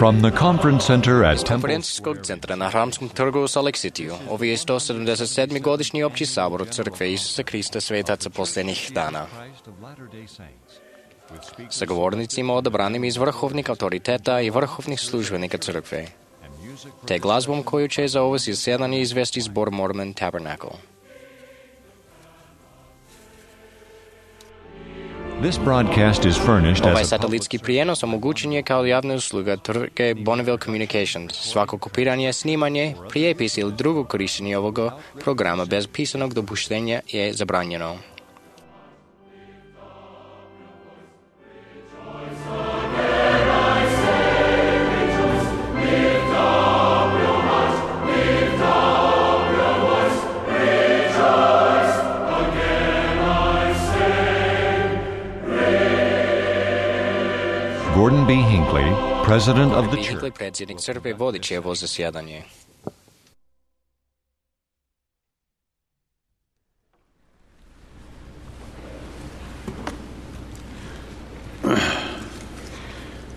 From the conference center at Temple Конференційського центра на Храмському торгу Салекситiju, ovo je 177. godišnji opći sabor Crkve Isusa Krista Svetaca posljednjih dana. Sa govornicima odabranim iz vrhovnih autoriteta i vrhovnih službenika Crkve, te glazbom koju će za ovo zasjedanje izvesti zbor Mormon Tabernacle. This broadcast is furnished Ovaj as a satelitski prijenos omogućen je kao javna usluga tvrtke Bonneville Communications. Svako kopiranje, snimanje, prijepis ili drugo korištenje ovoga programa bez pisanog dopuštenja je zabranjeno. Gordon B. Hinckley, president of the Hinckley, church. predsjednik crkve, vodit će ovo zasjedanje.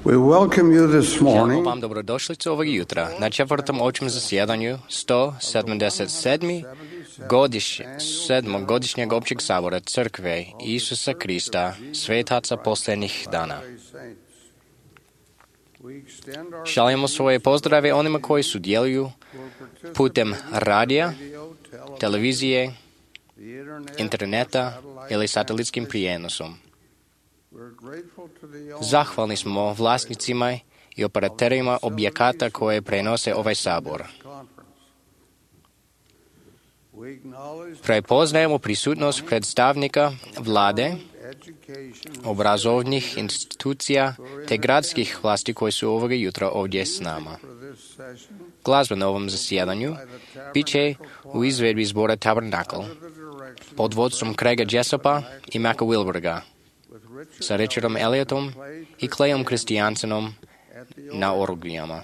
We welcome you this Želimo morning vam dobrodošlicu ovog jutra na četvrtom općem zasjedanju 177. godišnjeg općeg sabora Crkve Isusa Krista, Svetaca posljednjih dana. Šaljemo svoje pozdrave onima koji sudjeluju putem radija, televizije, interneta ili satelitskim prijenosom. Zahvalni smo vlasnicima i operaterima objekata koje prenose ovaj sabor. Prepoznajemo prisutnost predstavnika vlade, obrazovnih institucija te gradskih vlasti koji su ovoga jutra ovdje s nama. Glazba na ovom zasjedanju bit će u izvedbi zbora Tabernacle pod vodstvom Craiga Jessopa i Macka Wilberga, sa Richardom Elliotom i Clayom Christiansenom na orglijama.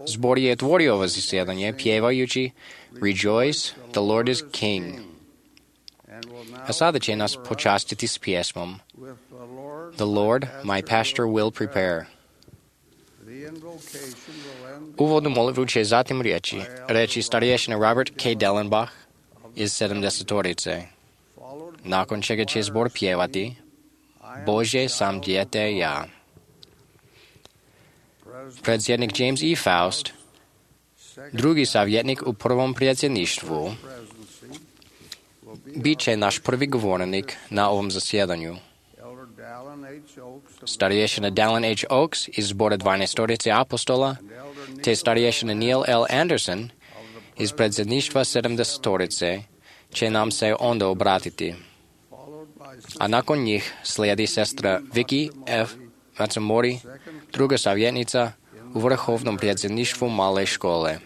Zbor je otvorio ovo zasjedanje pjevajući Rejoice, the Lord is King. A sada će nas počastiti s pjesmom The Lord, my pastor, will prepare. Uvodnu molitvu će zatim reći starješina Robert K. Dellenbach iz 70-torice. Nakon čega će zbor pjevati Bože sam dijete ja. Predsjednik James E. Faust, drugi savjetnik u prvom predsjedništvu, bit će naš prvi govornik na ovom zasjedanju. Starješina Dallin H. Oaks iz zbora 12-torice apostola, te starješina Neil L. Anderson iz predsjedništva 70-torice će nam se onda obratiti. A nakon njih slijedi sestra Vicky F. Matsumori, druga savjetnica u vrhovnom predsjedništvu male škole.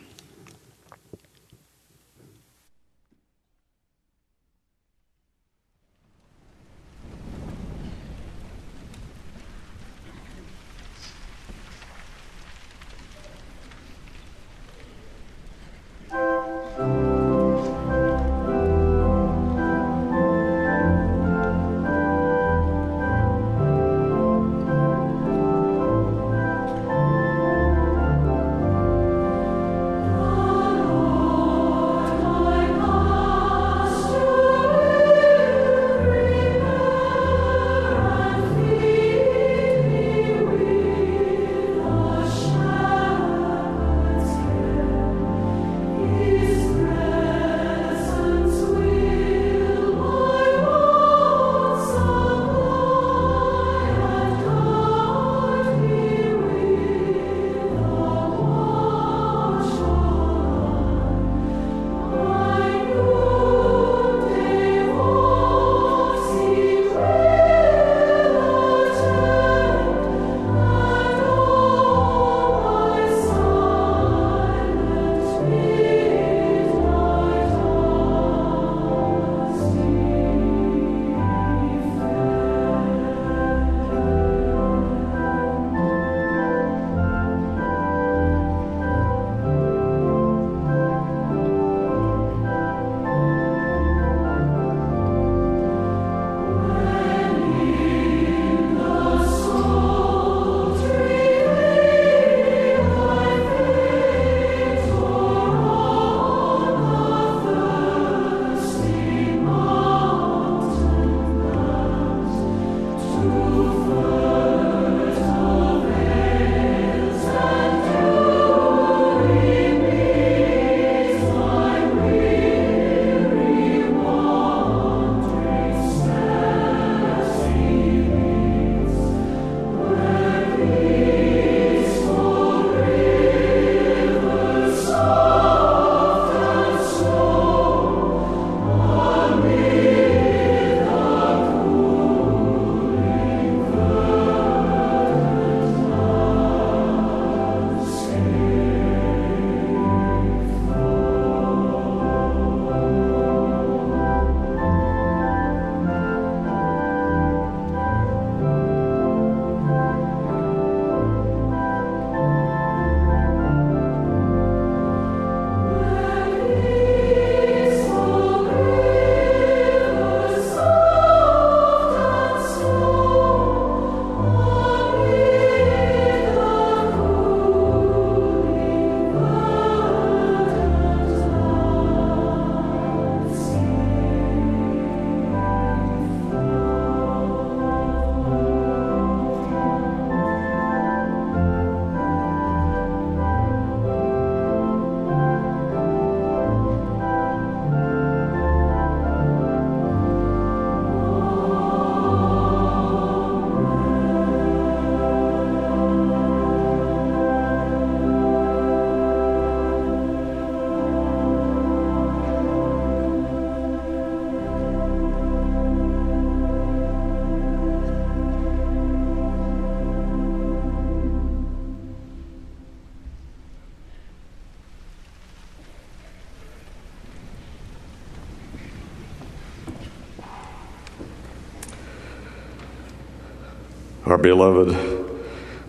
Our beloved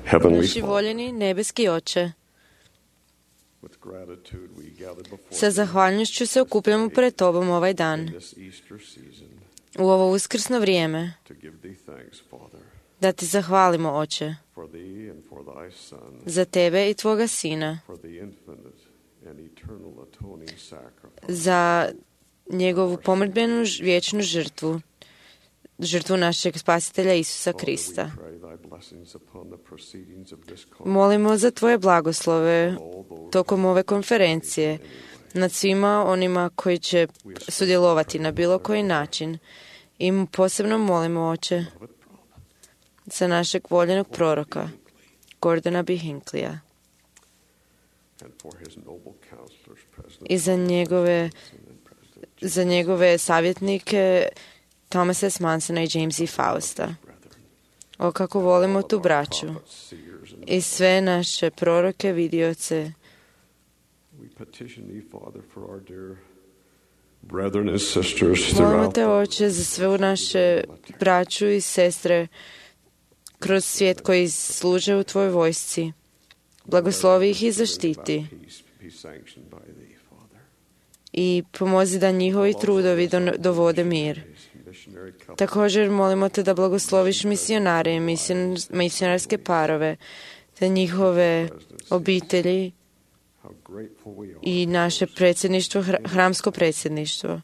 Heavenly Naši Father, voljeni nebeski Oče, with gratitude we gather before sa zahvalnošću se okupljamo pred Tobom ovaj dan, this Easter season u ovo uskrsno vrijeme, to give Thee thanks, Father, da Ti zahvalimo, Oče, for Thee and for Thy Son, za Tebe i Tvoga Sina, for the infinite and eternal atoning sacrifice, za njegovu pomrdbenu vječnu žrtvu, žrtvu našeg spasitelja Isusa Father, Krista. we pray Thy blessings upon the proceedings of this conference, Molimo za Tvoje blagoslove all those tokom ove konferencije nad svima onima koji će sudjelovati na bilo koji način. I posebno molimo, Oče, za našeg voljenog proroka, Gordona B. Hinklija, and for His noble counselors, President i za njegove savjetnike Thomasa S. Mansona i James E. Fausta. brethren, O, kako volimo tu braću prophets, seers, and i sve naše proroke, vidioce. we petition Thee, Father, for our dear brethren and sisters Molimo throughout Te, Oče, za sve naše braću i sestre kroz svijet koji služe u Tvojoj vojsci. Blagoslovi ih i zaštiti peace be sanctioned by Thee, Father. i pomozi da njihovi trudovi dovode mir. Missionary couples, Također molimo Te da blagosloviš misionare i misionarske parove, te njihove obitelji how grateful we are, i naše predsjedništvo, hramsko predsjedništvo.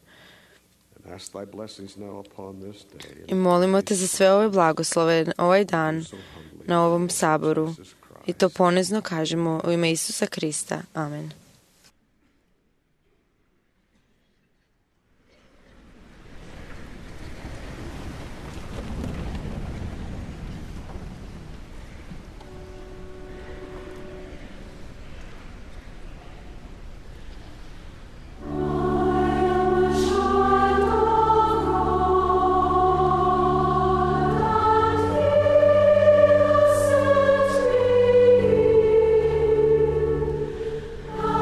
and ask Thy blessings now upon this day. I molimo Te za sve ove blagoslove ovaj dan So humbly, na ovom saboru. Jesus Christ. I to ponizno kažemo u ime Isusa Krista. Amen. I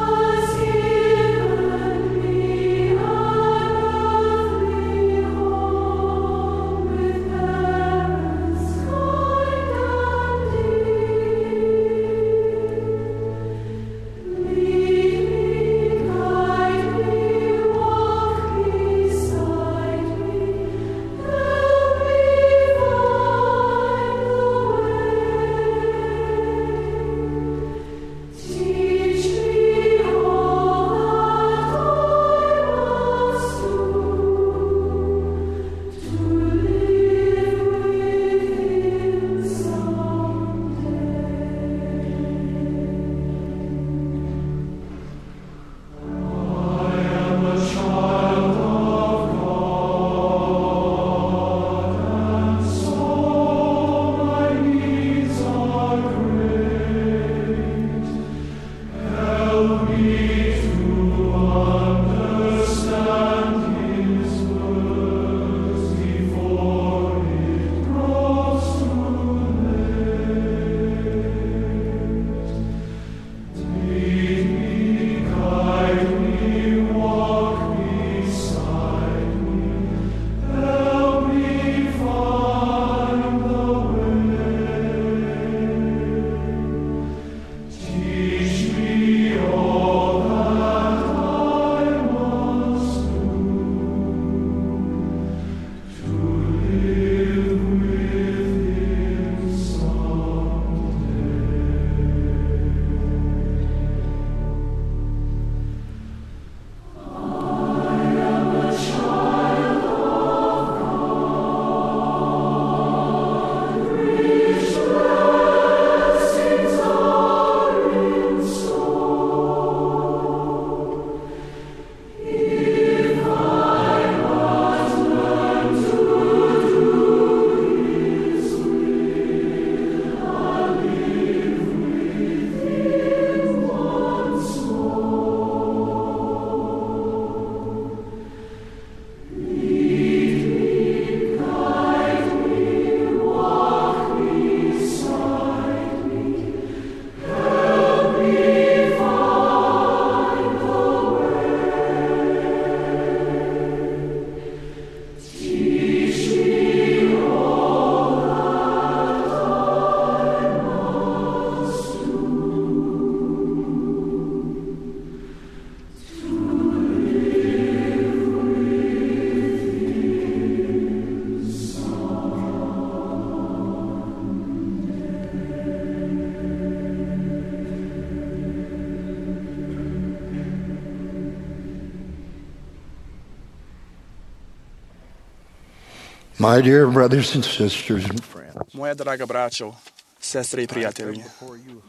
My dear brothers and sisters and friends, Moja draga braćo, sestre i prijatelji,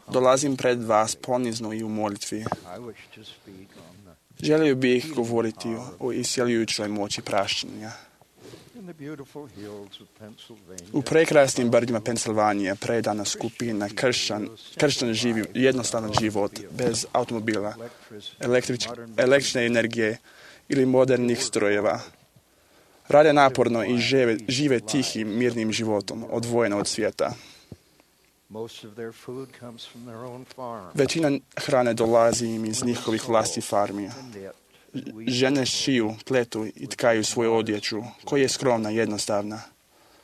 dolazim pred vas ponizno i u molitvi. I wish to speak on Želio bih govoriti o isjeljujućoj moći praštenja. in the beautiful hills of Pennsylvania. U prekrasnim brdima Pensilvanije predana skupina kršćan živi jednostavan život bez automobila, električne energije ili modernih strojeva. Rade naporno i žive tihim, mirnim životom, odvojeno od svijeta. Most of their food comes from their own farm. Većina hrane dolazi im iz njihovih vlastitih farmi. Žene šiju, pletu i tkaju svoju odjeću, koja je skromna i jednostavna.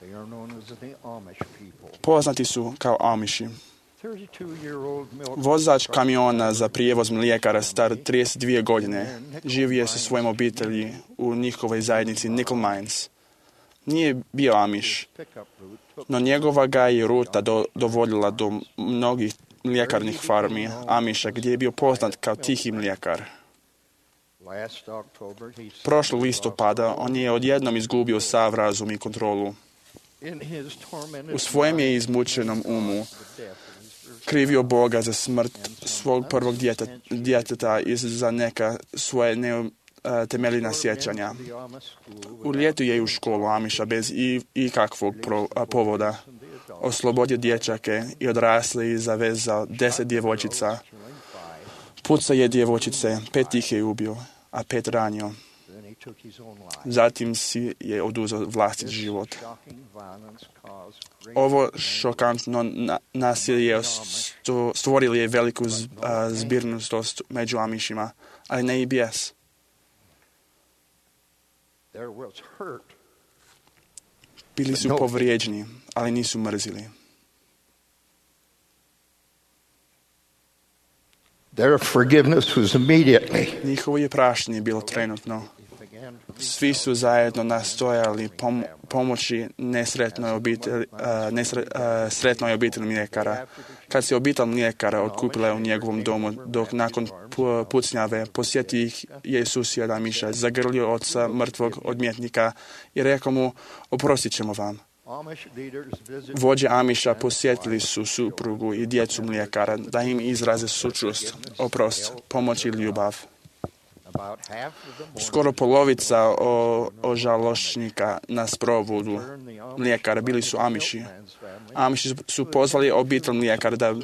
They are known as the Amish people. Poznati su kao Amiši. 32-year-old milk Vozač kamiona za prijevoz mlijekara star 32 godine živio sa svojom obitelji u njihovoj zajednici Nickel Mines. Nije bio Amiš, pickup route took no njegova ga je ruta dovodila do mnogih mljekarnih farmi Amiša, gdje je bio poznat kao tihi mlijekar. last October. He Prošlog listopada on je odjednom izgubio sav razum i kontrolu. in his tormented U svojem je izmučenom umu krivio Boga za smrt svog prvog djeteta i za neka svoje temeljna sjećanja. the Amish school U ljetu je u školu Amiša bez ikakvog povoda. Oslobodio dječake i odrasli i zavezao 10 djevojčica. Pucao je djevojčice, 5 ih je ubio, a 5 ranio. then he took his own life. Zatim si je oduzeo vlastit život. Shocking violence caused great Ovo šokantno nasilje stvorili je veliku zbirnost među Amišima, ali ne i bijes. there was hurt. Bili su povrijeđeni, ali nisu mrzili. Their forgiveness was immediately. Njihovo je praštenje bilo trenutno. Svi su zajedno nastojali pomoći sretnoj obitelji mlijekara. Kad se obitelj mlijekara otkupila u njegovom domu, dok nakon pucnjave posjetio ih je susjed Amiša, zagrlio oca mrtvog odmjetnika i rekao mu, oprostit ćemo vam. Amish leaders visited Vođe Amiša posjetili su suprugu i djecu mlijekara da im izraze sućut, oprost, pomoć i ljubav. about half of them. Skoro polovica ožalošćnika na sprovodu mlijekara bili su Amiši. Amiši su pozvali obitelj mlijekara da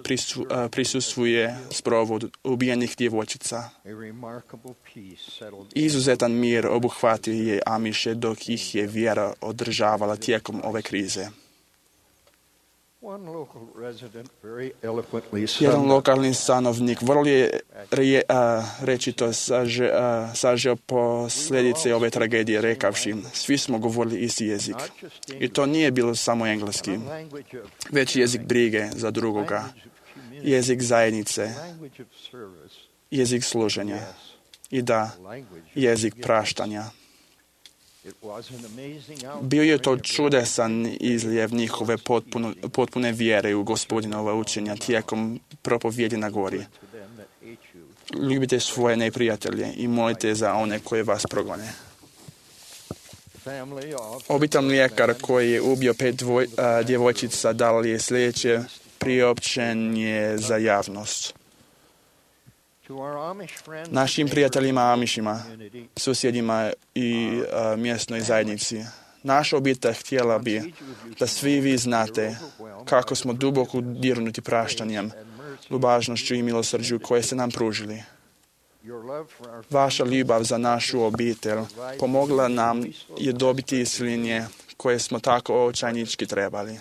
prisustvuje sprovodu ubijenih djevojčica. A remarkable peace settled. Izuzetan mir obuhvatio je Amiše dok ih je vjera održavala tijekom ove krize. One local resident very eloquently Jedan summed up lokalni stanovnik vrlo je rečito sažeo posljedice ove tragedije rekavši, svi smo govorili isti jezik. I to nije bilo samo engleski, language of već jezik brige za drugoga, jezik zajednice, language of service, jezik služenja i da, language. jezik praštanja. It was an amazing Bio je to čudesan izljev njihove potpune vjere u Gospodinova učenja tijekom propovjedi na gori. to them that hate you. Ljubite svoje neprijatelje i molite za one koje vas progone. Family of Obitelj mlijekar koji je ubio 5 djevojčica dali je sljedeće priopćenje za javnost. to our Amish friends, Našim prijateljima Amišima, community, susjedima i mjesnoj zajednici. Naša obitelj htjela bi da svi vi znate kako smo duboko dirnuti praštanjem, ljubaznošću i milosrđu koje ste nam pružili. your love for our Vaša ljubav za našu obitelj pomogla nam je dobiti isceljenje koje smo tako očajnički trebali.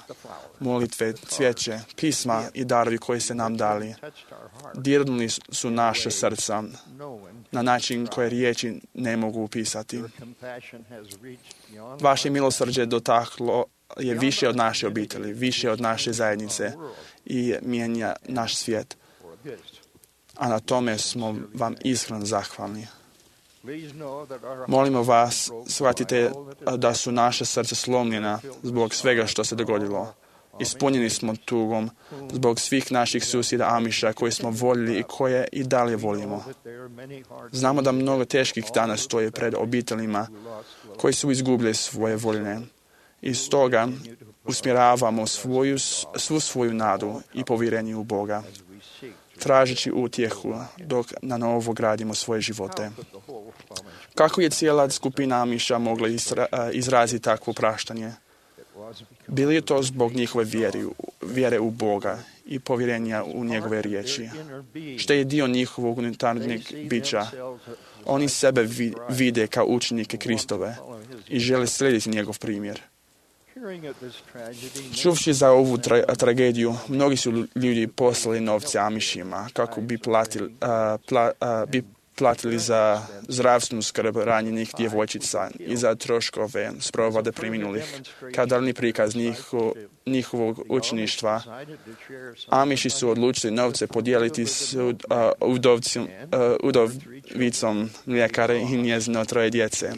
Molitve, cvijeće, pisma i darovi koje ste nam dali touched our heart, dirnuli su naše srca knowing na način koje riječi ne mogu opisati. your compassion has reached beyond Vaše milosrđe dotaklo je više od naše obitelji, više od naše zajednice i mijenja naš svijet. for this. A na tome smo vam iskreno zahvalni. Please know that our Molimo vas, shvatite da su naše srca slomljena zbog svega što se dogodilo. Ispunjeni smo tugom zbog svih naših susjeda Amiša koje smo voljeli i koje i dalje volimo. that there are many hard Znamo da mnogo teških dana stoje pred obiteljima koji su izgubili svoje voljene I stoga usmjeravamo svu svoju nadu i povjerenje u Boga, tražeći utjehu dok na novo gradimo svoje živote. Kako je cijela skupina Amiša mogla izraziti takvo praštanje? Bili je to zbog njihove vjere u Boga i povjerenja u njegove riječi, što je dio njihovog unutarnjeg bića. Oni sebe vide kao učenike Kristove i žele slijediti njegov primjer. Čuvši za ovu tragediju, mnogi su ljudi poslali novce Amišima kako bi platili za zdravstvenu skrb ranjenih djevojčica i za troškove sprovode preminulih. Kao daljnji prikaz njihovog učeništva, Amiši su odlučili novce podijeliti s udovicom mljekare i njezino 3 djece,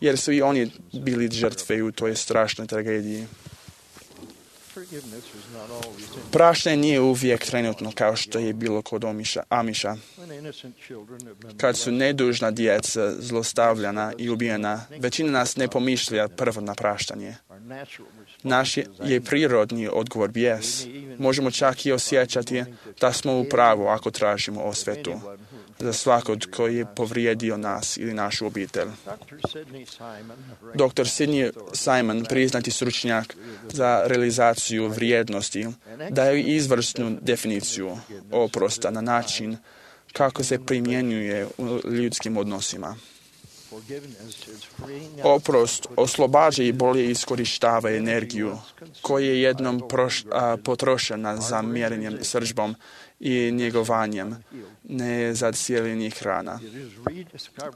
jer su i oni bili žrtve u toj strašnoj tragediji. Praštanje nije uvijek trenutno kao što je bilo kod Amiša. Kad su nedužna djeca zlostavljana i ubijena, većina nas ne pomišlja prvo na praštanje. Naš je prirodni odgovor bijes. Možemo čak i osjećati da smo u pravu ako tražimo osvetu za svakog koji je povrijedio nas ili našu obitelj. Dr. Sidney Simon, priznati stručnjak za realizaciju vrijednosti, daje izvrsnu definiciju oprosta na način kako se primjenjuje u ljudskim odnosima. Oprost oslobađa i bolje iskorištava energiju koja je jednom potrošena za mjerenjem srdžbom i njegovanjem nezacijeljenih rana.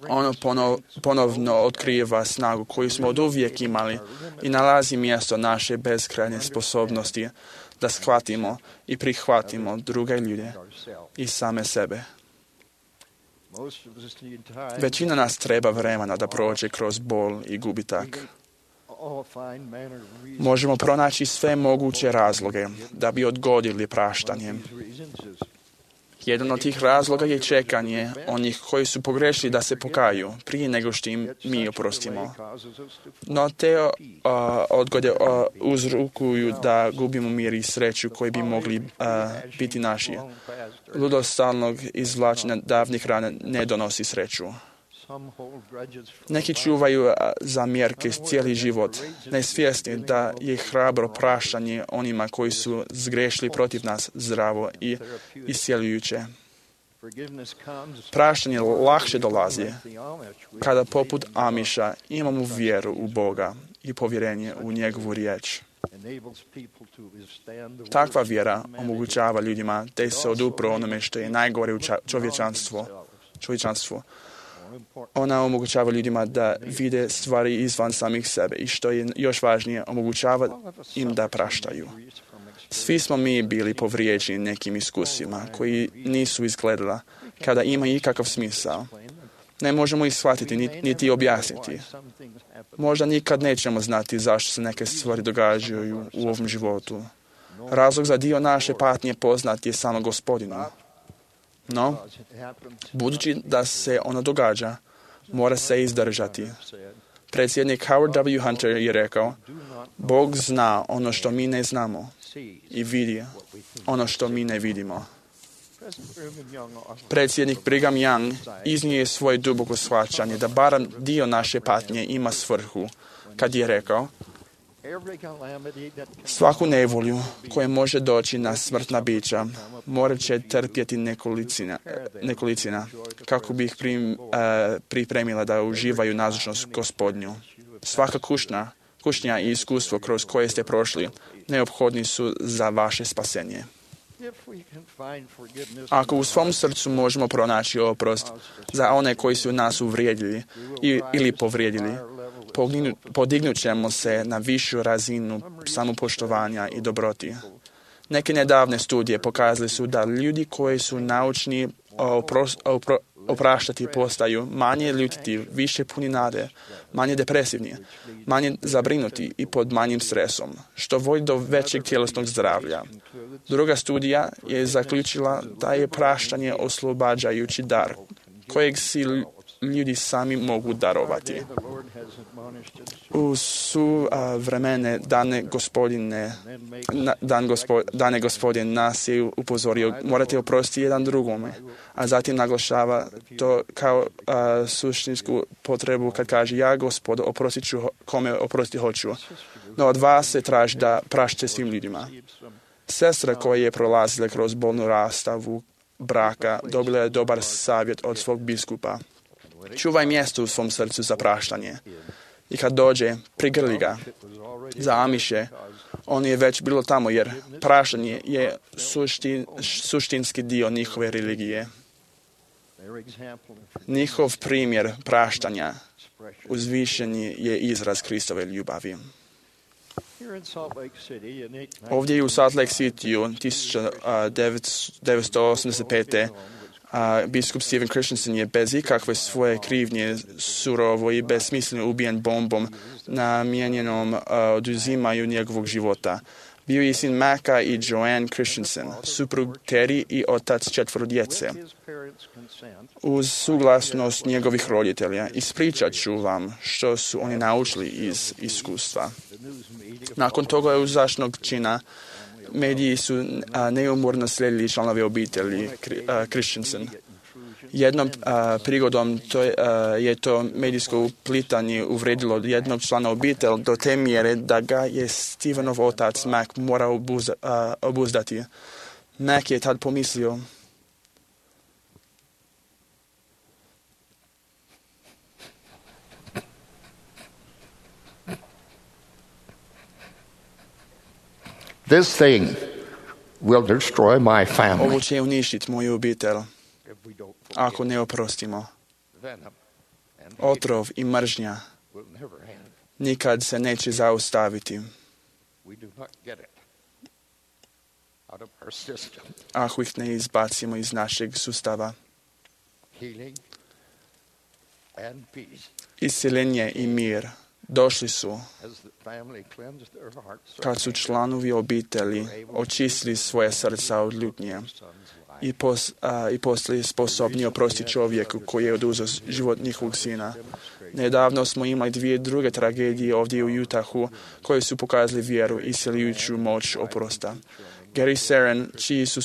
Ono ponovno otkriva snagu koju smo od uvijek imali i nalazi mjesto naše beskrajne sposobnosti da shvatimo i prihvatimo druge ljude i same sebe. Većina nas treba vremena da prođe kroz bol i gubitak. Možemo pronaći sve moguće razloge da bi odgodili praštanje. Jedan od tih razloga je čekanje onih koji su pogrešili da se pokaju prije nego što im mi oprostimo. No te odgode uzrokuju da gubimo mir i sreću koji bi mogli biti naši. Ludost stalnog izvlačenja davnih rana ne donosi sreću. Neki čuvaju zamjerke cijeli život, nesvjesni da je hrabro praštanje onima koji su zgrešili protiv nas zdravo i iscjeljujuće. Praštanje lakše dolazi kada poput Amiša imamo vjeru u Boga i povjerenje u njegovu riječ. Takva vjera omogućava ljudima da se odupru onome što je najgore u čovječanstvu. Ona omogućava ljudima da vide stvari izvan samih sebe i što je još važnije, omogućava im da praštaju. Svi smo mi bili povrijeđeni nekim iskusima koji nisu izgledala kada ima ikakav smisao. Ne možemo ih shvatiti niti objasniti. Možda nikad nećemo znati zašto se neke stvari događaju u ovom životu. Razlog za dio naše patnje poznat je samo Gospodinu. No, budući da se ono događa, mora se izdržati. Predsjednik Howard W. Hunter je rekao, Bog zna ono što mi ne znamo i vidi ono što mi ne vidimo. Predsjednik Brigham Young iznio je svoje duboko shvaćanje da barem dio naše patnje ima svrhu, kad je rekao, svaku nevolju koja može doći na smrtna bića morat će trpjeti nekolicina kako bi ih pripremila da uživaju nazočnost Gospodnju. Svaka kušnja i iskustvo kroz koje ste prošli neophodni su za vaše spasenje. Ako u svom srcu možemo pronaći oprost za one koji su nas uvrijedili ili povrijedili, podignut ćemo se na višu razinu samopoštovanja i dobroti. Neke nedavne studije pokazali su da ljudi koji su naučni opraštati postaju manje ljutiti, više puni nade, manje depresivni, manje zabrinuti i pod manjim stresom, što vodi do većeg tjelesnog zdravlja. Druga studija je zaključila da je praštanje oslobađajući dar, kojeg si ljudi sami mogu darovati. U su vremene dane Gospodin nas je upozorio, morate oprostiti jedan drugome, a zatim naglašava to kao suštinsku potrebu kad kaže ja, Gospod, oprostit ću kome oprostiti hoću. No od vas se traži da prašćete svim ljudima. Sestra koja je prolazila kroz bolnu rastavu braka dobila je dobar savjet od svog biskupa. Čuvaj mjesto u svom srcu za praštanje. I kad dođe, prigrli ga. Za Amiše, on je već bilo tamo jer praštanje je suštinski dio njihove religije. Njihov primjer praštanja uzvišeni je izraz Kristove ljubavi. Ovdje u Salt Lake Cityu 1985. Biskup Stephen Christensen je bez ikakve svoje krivnje surovo i besmisleno ubijen bombom namijenjenom oduzimaju njegovog života. Bio je sin Maka i Joanne Christensen, suprug Terry i otac 4 djece. Uz suglasnost njegovih roditelja ispričat ću vam što su oni naučili iz iskustva. Nakon toga uzašnog čina mediji su neumorno slijedili članove obitelji Christensen. Jednom prigodom je to medijsko uplitanje uvredilo jednog člana obitelji do te mjere da ga je Stevenov otac Mac morao obuzdati. Mac je tad pomislio: This thing will destroy my family. Ovo će uništiti moju obitelj ako ne oprostimo. Otrov i mržnja nikad se neće zaustaviti ako ih ne izbacimo iz našeg sustava. Isceljenje i mir došli su kad su članovi obitelji očistili svoje srca od ljutnje i postali sposobni oprostiti čovjeku koji je oduzeo život njihovog sina. Nedavno smo imali 2 druge tragedije ovdje u Utahu koje su pokazali vjeru i isceljujuću moć oprosta. Gary Seren, čiji su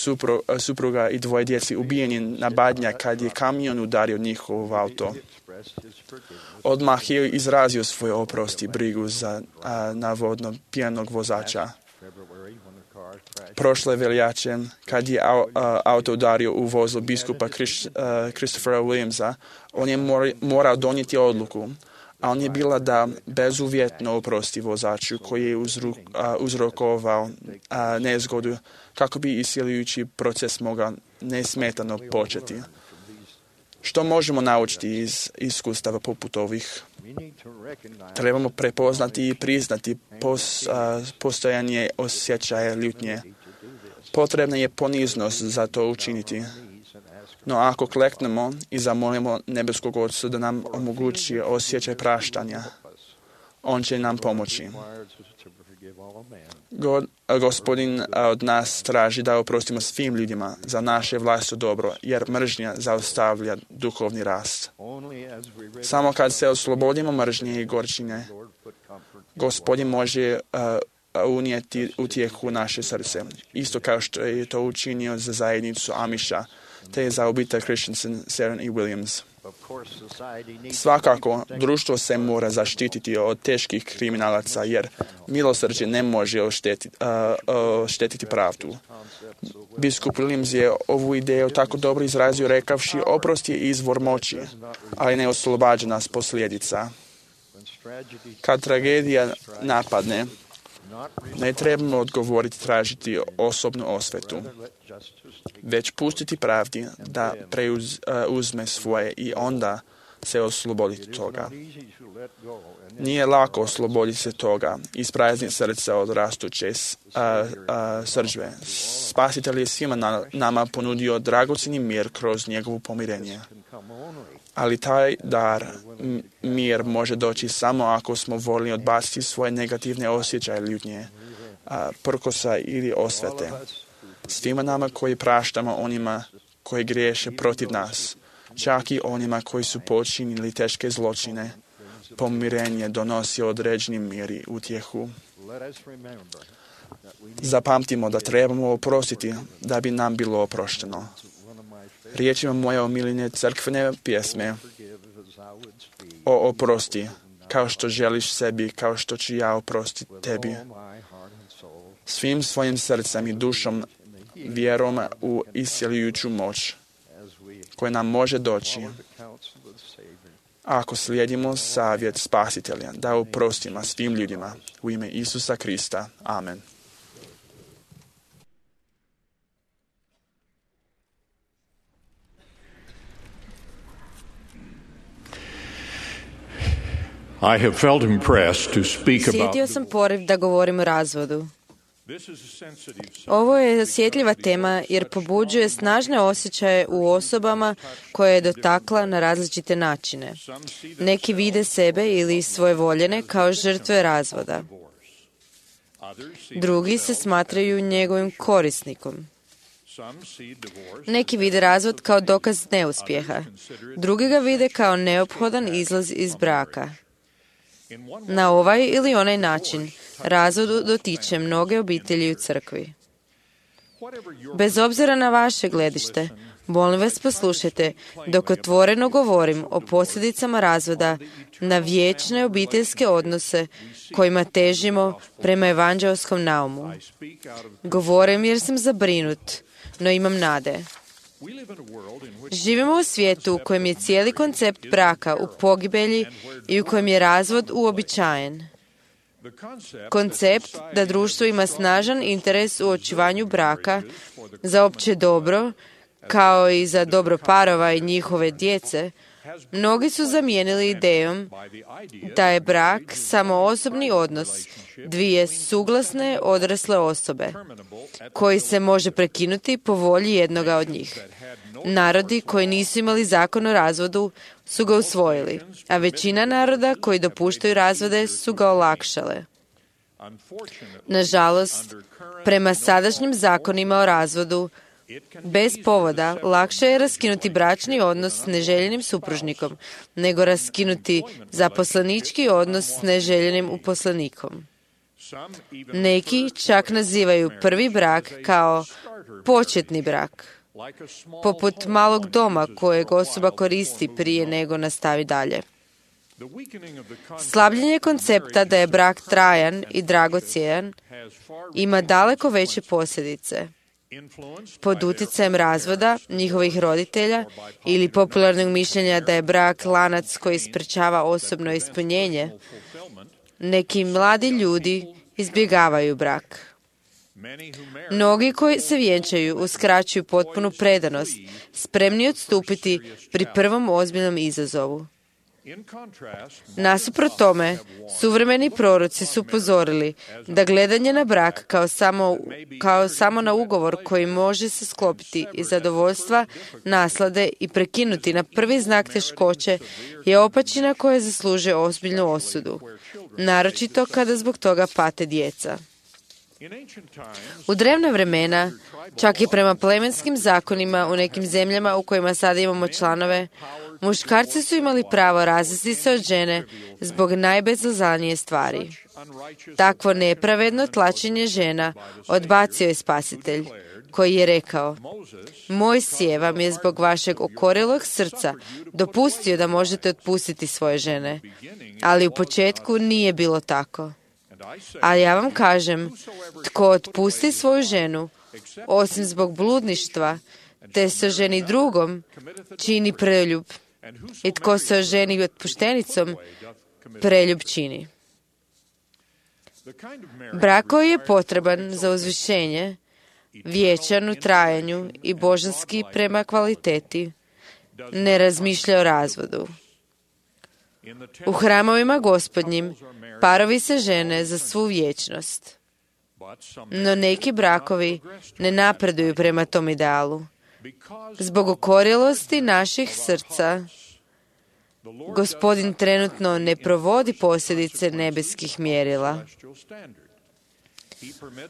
supruga i 2 djeci ubijeni na Badnjak kad je kamion udario njihov auto. Odmah je izrazio svoj oprost i brigu za navodno pijanog vozača. Prošle veljače, kad je auto udario u vozilo biskupa Christophera Williamsa, on je morao donijeti odluku, a on je bila da bezuvjetno oprosti vozaču koji je uzrokovao nezgodu kako bi isceljujući proces mogao nesmetano početi. Što možemo naučiti iz iskustava poput ovih? Trebamo prepoznati i priznati postojanje osjećaja ljutnje. Potrebna je poniznost za to učiniti. No ako kleknemo i zamolimo nebeskog Oca da nam omogući osjećaj praštanja, on će nam pomoći. Gospodin od nas traži da oprostimo svim ljudima za naše vlastito dobro, jer mržnja zaustavlja duhovni rast. Samo kad se oslobodimo mržnje i gorčine, Gospodin može unijeti utjehu u naše srce, isto kao što je to učinio za zajednicu Amiša, te za obitelj Christensen, Seren i Williams. Svakako, društvo se mora zaštititi od teških kriminalaca, jer milosrđe ne može oštetiti pravdu. Biskup Williams je ovu ideju tako dobro izrazio rekavši: oprost je izvor moći, ali ne oslobađa nas posljedica. Kad tragedija napadne, ne trebamo odgovoriti tražiti osobnu osvetu, već pustiti pravdi da uzme svoje i onda se osloboditi toga. Nije lako osloboditi se toga, isprazniti srce od rastuće srdžbe. Spasitelj je svima nama ponudio dragocjeni mir kroz njegovo pomirenje. Ali taj dar, mir, može doći samo ako smo voljni odbaciti svoje negativne osjećaje ljutnje, prkosa ili osvete. Svima nama koji praštamo onima koji griješe protiv nas, čak i onima koji su počinili teške zločine. Pomirenje donosi određeni mir i utjehu. Zapamtimo da trebamo oprostiti da bi nam bilo oprošteno. Riječima moje omiljene crkvene pjesme o oprosti, kao što želiš sebi, kao što ću ja oprostiti tebi. Svim svojim srcem i dušom vjerom u isceljujuću moć koja nam može doći ako slijedimo savjet Spasitelja da oprostimo svim ljudima u ime Isusa Krista. Amen. I have felt impressed to speak about Sjetio sam poriv da govorim o razvodu. Ovo je osjetljiva tema jer pobuđuje snažne osjećaje u osobama koje je dotakla na različite načine. Neki vide sebe ili svoje voljene kao žrtve razvoda. Drugi se smatraju njegovim korisnikom. Neki vide razvod kao dokaz neuspjeha. Drugi ga vide kao neophodan izlaz iz braka. Na ovaj ili onaj način razvod dotiče mnoge obitelji u crkvi. Bez obzira na vaše gledište, molim vas poslušajte dok otvoreno govorim o posljedicama razvoda na vječne obiteljske odnose kojima težimo prema evanđelskom naumu. Govorim jer sam zabrinut, no imam nade. Živimo u svijetu u kojem je cijeli koncept braka u pogibelji i u kojem je razvod uobičajen. Koncept da društvo ima snažan interes u očuvanju braka za opće dobro, kao i za dobro parova i njihove djece, mnogi su zamijenili idejom da je brak samo osobni odnos dvije suglasne odrasle osobe, koji se može prekinuti po volji jednoga od njih. Narodi koji nisu imali zakon o razvodu su ga usvojili, a većina naroda koji dopuštaju razvode su ga olakšale. Nažalost, prema sadašnjim zakonima o razvodu, bez povoda lakše je raskinuti bračni odnos s neželjenim supružnikom, nego raskinuti zaposlenički odnos s neželjenim uposlenikom. Neki čak nazivaju prvi brak kao početni brak, poput malog doma kojeg osoba koristi prije nego nastavi dalje. Slabljenje koncepta da je brak trajan i dragocjen ima daleko veće posljedice. Pod utjecajem razvoda njihovih roditelja ili popularnog mišljenja da je brak lanac koji sprečava osobno ispunjenje, neki mladi ljudi izbjegavaju brak. Mnogi koji se vjenčaju uskraćuju potpunu predanost, spremni odstupiti pri prvom ozbiljnom izazovu. Nasuprot tome, suvremeni proroci su upozorili da gledanje na brak kao samo na ugovor koji može se sklopiti iz zadovoljstva, naslade i prekinuti na prvi znak teškoće je opačina koja zaslužuje ozbiljnu osudu, naročito kada zbog toga pate djeca. U drevna vremena, čak i prema plemenskim zakonima u nekim zemljama u kojima sada imamo članove, muškarci su imali pravo razvesti se od žene zbog najbezazlanije stvari. Takvo nepravedno tlačenje žena odbacio je Spasitelj, koji je rekao: Mojsije vam je zbog vašeg okorjelog srca dopustio da možete otpustiti svoje žene, ali u početku nije bilo tako. A ja vam kažem, tko otpusti svoju ženu, osim zbog bludništva, te se oženi drugom, čini preljub. I tko se oženi otpuštenicom, preljub čini. Brak koji je potreban za uzvišenje, vječan u trajanju i božanski prema kvaliteti, ne razmišlja o razvodu. U hramovima Gospodnjim parovi se žene za svu vječnost. No neki brakovi ne napreduju prema tom idealu. Zbog okorjelosti naših srca, Gospodin trenutno ne provodi posljedice nebeskih mjerila.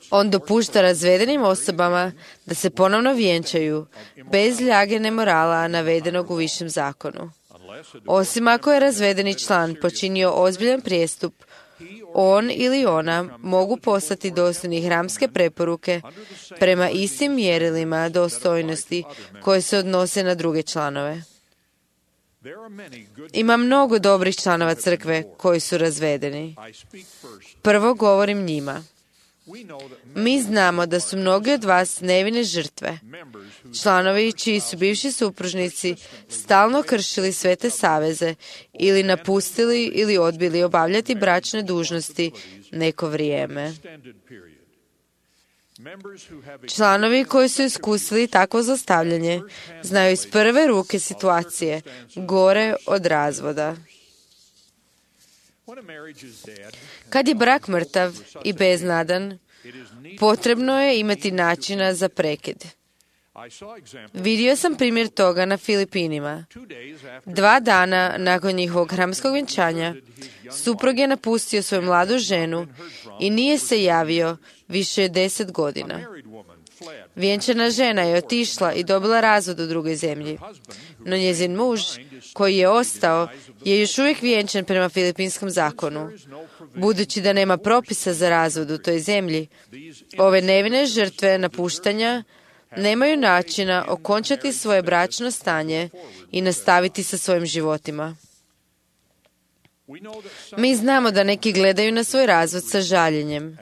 On dopušta razvedenim osobama da se ponovno vjenčaju, bez ljage nemorala navedenog u višem zakonu. Osim ako je razvedeni član počinio ozbiljan prijestup, on ili ona mogu postati dostojni hramske preporuke prema istim mjerilima dostojnosti koje se odnose na druge članove. Ima mnogo dobrih članova crkve koji su razvedeni. Prvo govorim njima. Mi znamo da su mnogi od vas nevine žrtve, članovi čiji su bivši supružnici stalno kršili svete saveze ili napustili ili odbili obavljati bračne dužnosti neko vrijeme. Članovi koji su iskusili takvo zlostavljanje znaju iz prve ruke situacije gore od razvoda. Kad je brak mrtav i beznadan, potrebno je imati načina za prekid. Vidio sam primjer toga na Filipinima. 2 dana nakon njihovog hramskog vjenčanja, suprug je napustio svoju mladu ženu i nije se javio više od 10 godina. Vjenčana žena je otišla i dobila razvod u drugoj zemlji, no njezin muž, koji je ostao, je još uvijek vjenčan prema filipinskom zakonu. Budući da nema propisa za razvod u toj zemlji, ove nevine žrtve napuštanja nemaju načina okončati svoje bračno stanje i nastaviti sa svojim životima. Mi znamo da neki gledaju na svoj razvod sa žaljenjem,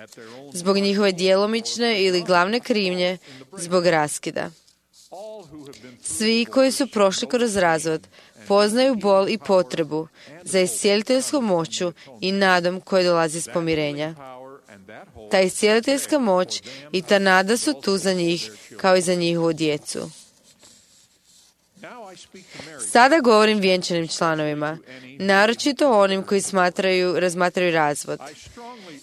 zbog njihove djelomične ili glavne krivnje, zbog raskida. Svi koji su prošli kroz razvod poznaju bol i potrebu za iscijeliteljskom moću i nadom koje dolazi iz pomirenja. Ta iscijeliteljska moć i ta nada su tu za njih kao i za njihovu djecu. Sada govorim vjenčanim članovima, naročito onim koji razmatraju razvod.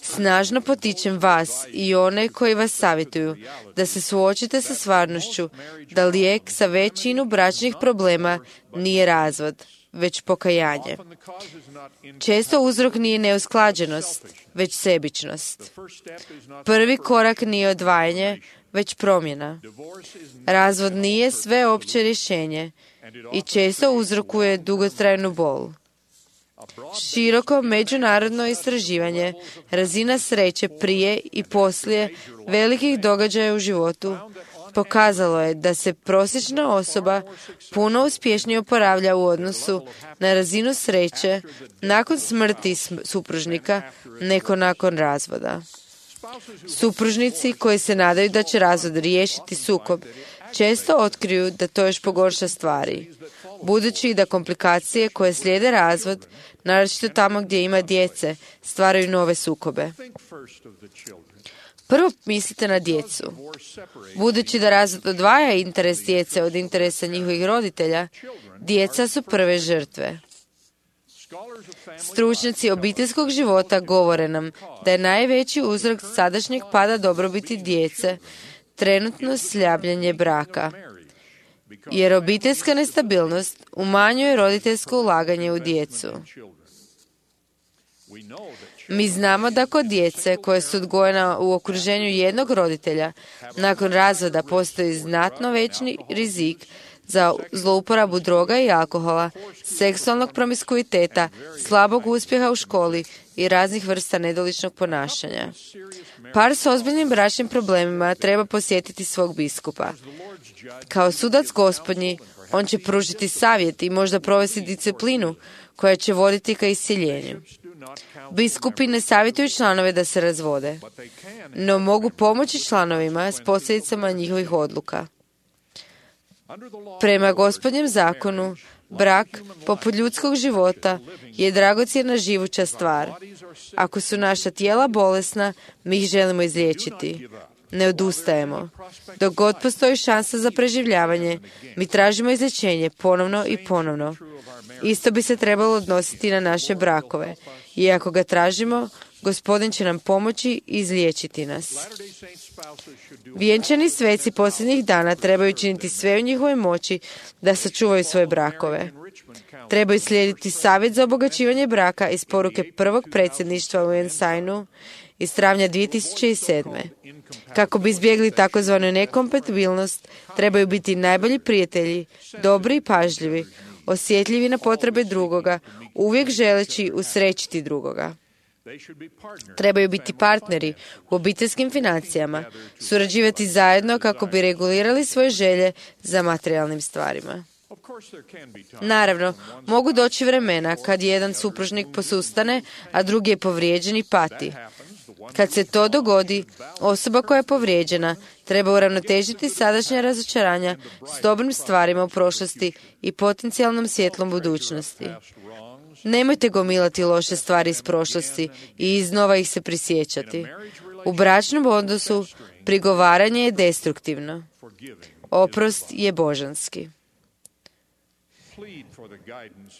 Snažno potičem vas i one koji vas savjetuju da se suočite sa stvarnošću da lijek za većinu bračnih problema nije razvod, već pokajanje. Često uzrok nije neusklađenost, već sebičnost. Prvi korak nije odvajanje, već promjena. Razvod nije sveopće rješenje i često uzrokuje dugotrajnu bol. Široko međunarodno istraživanje razina sreće prije i poslije velikih događaja u životu pokazalo je da se prosječna osoba puno uspješnije oporavlja u odnosu na razinu sreće nakon smrti supružnika nego nakon razvoda. Supružnici koji se nadaju da će razvod riješiti sukob često otkriju da to još pogorša stvari, budući da komplikacije koje slijede razvod, naročito tamo gdje ima djece, stvaraju nove sukobe. Prvo mislite na djecu. Budući da razvod odvaja interes djece od interesa njihovih roditelja, djeca su prve žrtve. Stručnjaci obiteljskog života govore nam da je najveći uzrok sadašnjeg pada dobrobiti djece trenutno slabljanje braka, jer obiteljska nestabilnost umanjuje roditeljsko ulaganje u djecu. Mi znamo da kod djece koje su odgojena u okruženju jednog roditelja, nakon razvoda postoji znatno veći rizik za zlouporabu droga i alkohola, seksualnog promiskuiteta, slabog uspjeha u školi i raznih vrsta nedoličnog ponašanja. Par s ozbiljnim bračnim problemima treba posjetiti svog biskupa. Kao sudac gospodnji, on će pružiti savjet i možda provesti disciplinu koja će voditi ka iscjeljenju. Biskupi ne savjetuju članove da se razvode, no mogu pomoći članovima s posljedicama njihovih odluka. Prema Gospodnjem zakonu, brak, poput ljudskog života, je dragocjena živuća stvar. Ako su naša tijela bolesna, mi ih želimo izliječiti. Ne odustajemo. Dok god postoji šansa za preživljavanje, mi tražimo izlječenje ponovno i ponovno. Isto bi se trebalo odnositi na naše brakove. I ako ga tražimo, Gospodin će nam pomoći i izliječiti nas. Vjenčani sveci posljednjih dana trebaju činiti sve u njihovoj moći da sačuvaju svoje brakove. Trebaju slijediti savjet za obogaćivanje braka iz poruke prvog predsjedništva u Ensignu iz travnja 2007. Kako bi izbjegli takozvanu nekompatibilnost, trebaju biti najbolji prijatelji, dobri i pažljivi, osjetljivi na potrebe drugoga, uvijek želeći usrećiti drugoga. Trebaju biti partneri u obiteljskim financijama, surađivati zajedno kako bi regulirali svoje želje za materijalnim stvarima. Naravno, mogu doći vremena kad jedan supružnik posustane, a drugi je povrijeđen i pati. Kad se to dogodi, osoba koja je povrijeđena treba uravnotežiti sadašnja razočaranja s dobrim stvarima u prošlosti i potencijalnom svjetlom budućnosti. Nemojte gomilati loše stvari iz prošlosti i iznova ih se prisjećati. U bračnom odnosu prigovaranje je destruktivno. Oprost je božanski.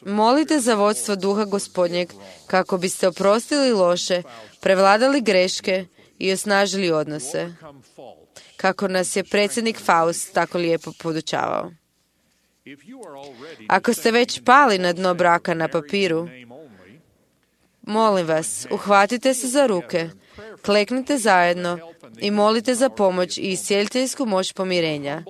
Molite za vodstvo duha Gospodnjeg kako biste oprostili loše, prevladali greške i osnažili odnose. Kako nas je predsjednik Faust tako lijepo podučavao. Ako ste već pali na dno braka na papiru, molim vas, uhvatite se za ruke, kleknite zajedno i molite za pomoć i iscijeliteljsku moć pomirenja.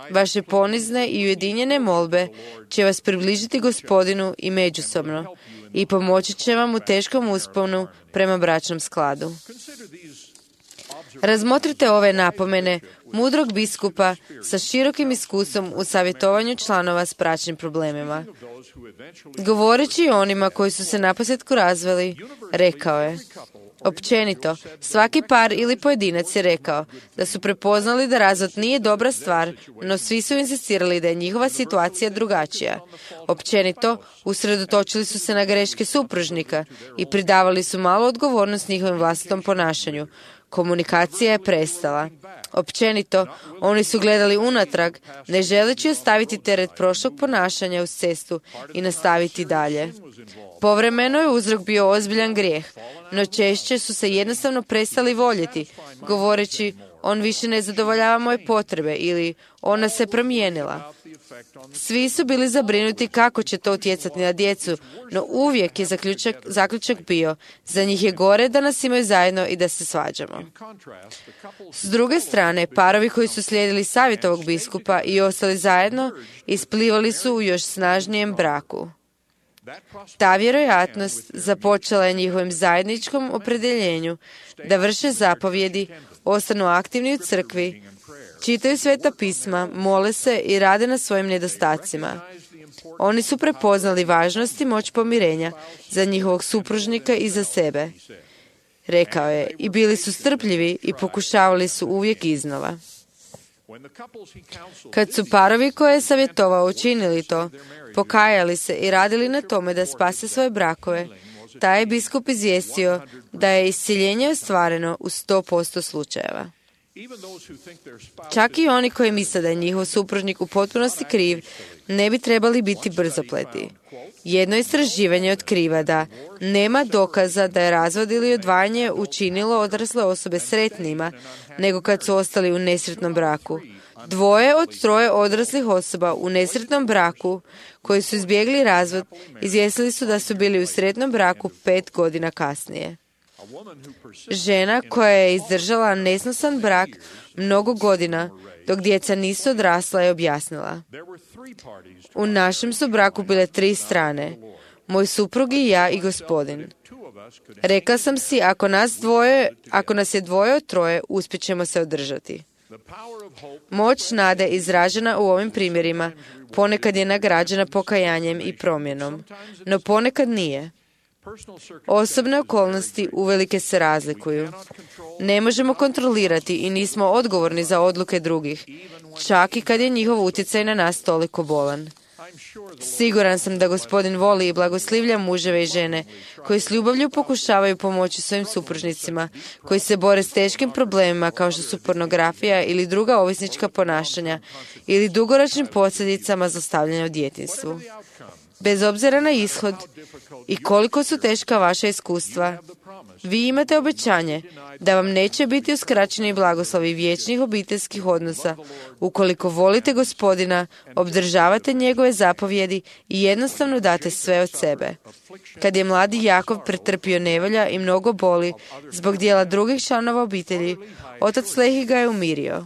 Vaše ponizne i ujedinjene molbe će vas približiti Gospodinu i međusobno i pomoći će vam u teškom usponu prema bračnom skladu. Razmotrite ove napomene mudrog biskupa sa širokim iskustvom u savjetovanju članova s bračnim problemima. Govoreći o onima koji su se naposljetku razveli, rekao je: općenito, svaki par ili pojedinac je rekao da su prepoznali da razvod nije dobra stvar, no svi su insistirali da je njihova situacija drugačija. Općenito, usredotočili su se na greške supružnika i pridavali su malu odgovornost njihovim vlastitom ponašanju. Komunikacija je prestala. Općenito, oni su gledali unatrag, ne želeći ostaviti teret prošlog ponašanja uz cestu i nastaviti dalje. Povremeno je uzrok bio ozbiljan grijeh, no češće su se jednostavno prestali voljeti, govoreći: on više ne zadovoljava moje potrebe ili ona se promijenila. Svi su bili zabrinuti kako će to utjecati na djecu, no uvijek je zaključak bio: za njih je gore da nas imaju zajedno i da se svađamo. S druge strane, parovi koji su slijedili savjet ovog biskupa i ostali zajedno, isplivali su u još snažnijem braku. Ta vjerojatnost započela je njihovim zajedničkom opredjeljenju da vrše zapovjedi, ostanu aktivni u crkvi, čitaju sveta pisma, mole se i rade na svojim nedostacima. Oni su prepoznali važnost i moć pomirenja za njihovog supružnika i za sebe. Rekao je, i bili su strpljivi i pokušavali su uvijek iznova. Kad su parovi koje je savjetovao učinili to, pokajali se i radili na tome da spase svoje brakove, taj je biskup izvijestio da je iscjeljenje ostvareno u 100% slučajeva. Čak i oni koji misle da je njihov supružnik u potpunosti kriv, ne bi trebali biti brzopleti. Jedno istraživanje otkriva da nema dokaza da je razvod ili odvajanje učinilo odrasle osobe sretnima nego kad su ostali u nesretnom braku. 2 od 3 odraslih osoba u nesretnom braku koji su izbjegli razvod izvijestili su da su bili u sretnom braku 5 godina kasnije. Žena koja je izdržala nesnosan brak mnogo godina dok djeca nisu odrasla je objasnila: u našem su braku bile 3 strane, moj suprug i ja i Gospodin. Rekla sam si, ako nas je 2 od 3, uspjet ćemo se održati. Moć nade izražena u ovim primjerima ponekad je nagrađena pokajanjem i promjenom, no ponekad nije. Osobne okolnosti uvelike se razlikuju. Ne možemo kontrolirati i nismo odgovorni za odluke drugih, čak i kad je njihov utjecaj na nas toliko bolan. Siguran sam da Gospodin voli i blagoslivlja muževe i žene koji s ljubavlju pokušavaju pomoći svojim supružnicima, koji se bore s teškim problemima kao što su pornografija ili druga ovisnička ponašanja ili dugoročnim posljedicama zlostavljanja u djetinjstvu. Bez obzira na ishod i koliko su teška vaša iskustva, vi imate obećanje da vam neće biti uskraćeni blagoslovi vječnih obiteljskih odnosa ukoliko volite Gospodina, obdržavate njegove zapovjedi i jednostavno date sve od sebe. Kad je mladi Jakov pretrpio nevolja i mnogo boli zbog dijela drugih članova obitelji, otac Lehi ga je umirio.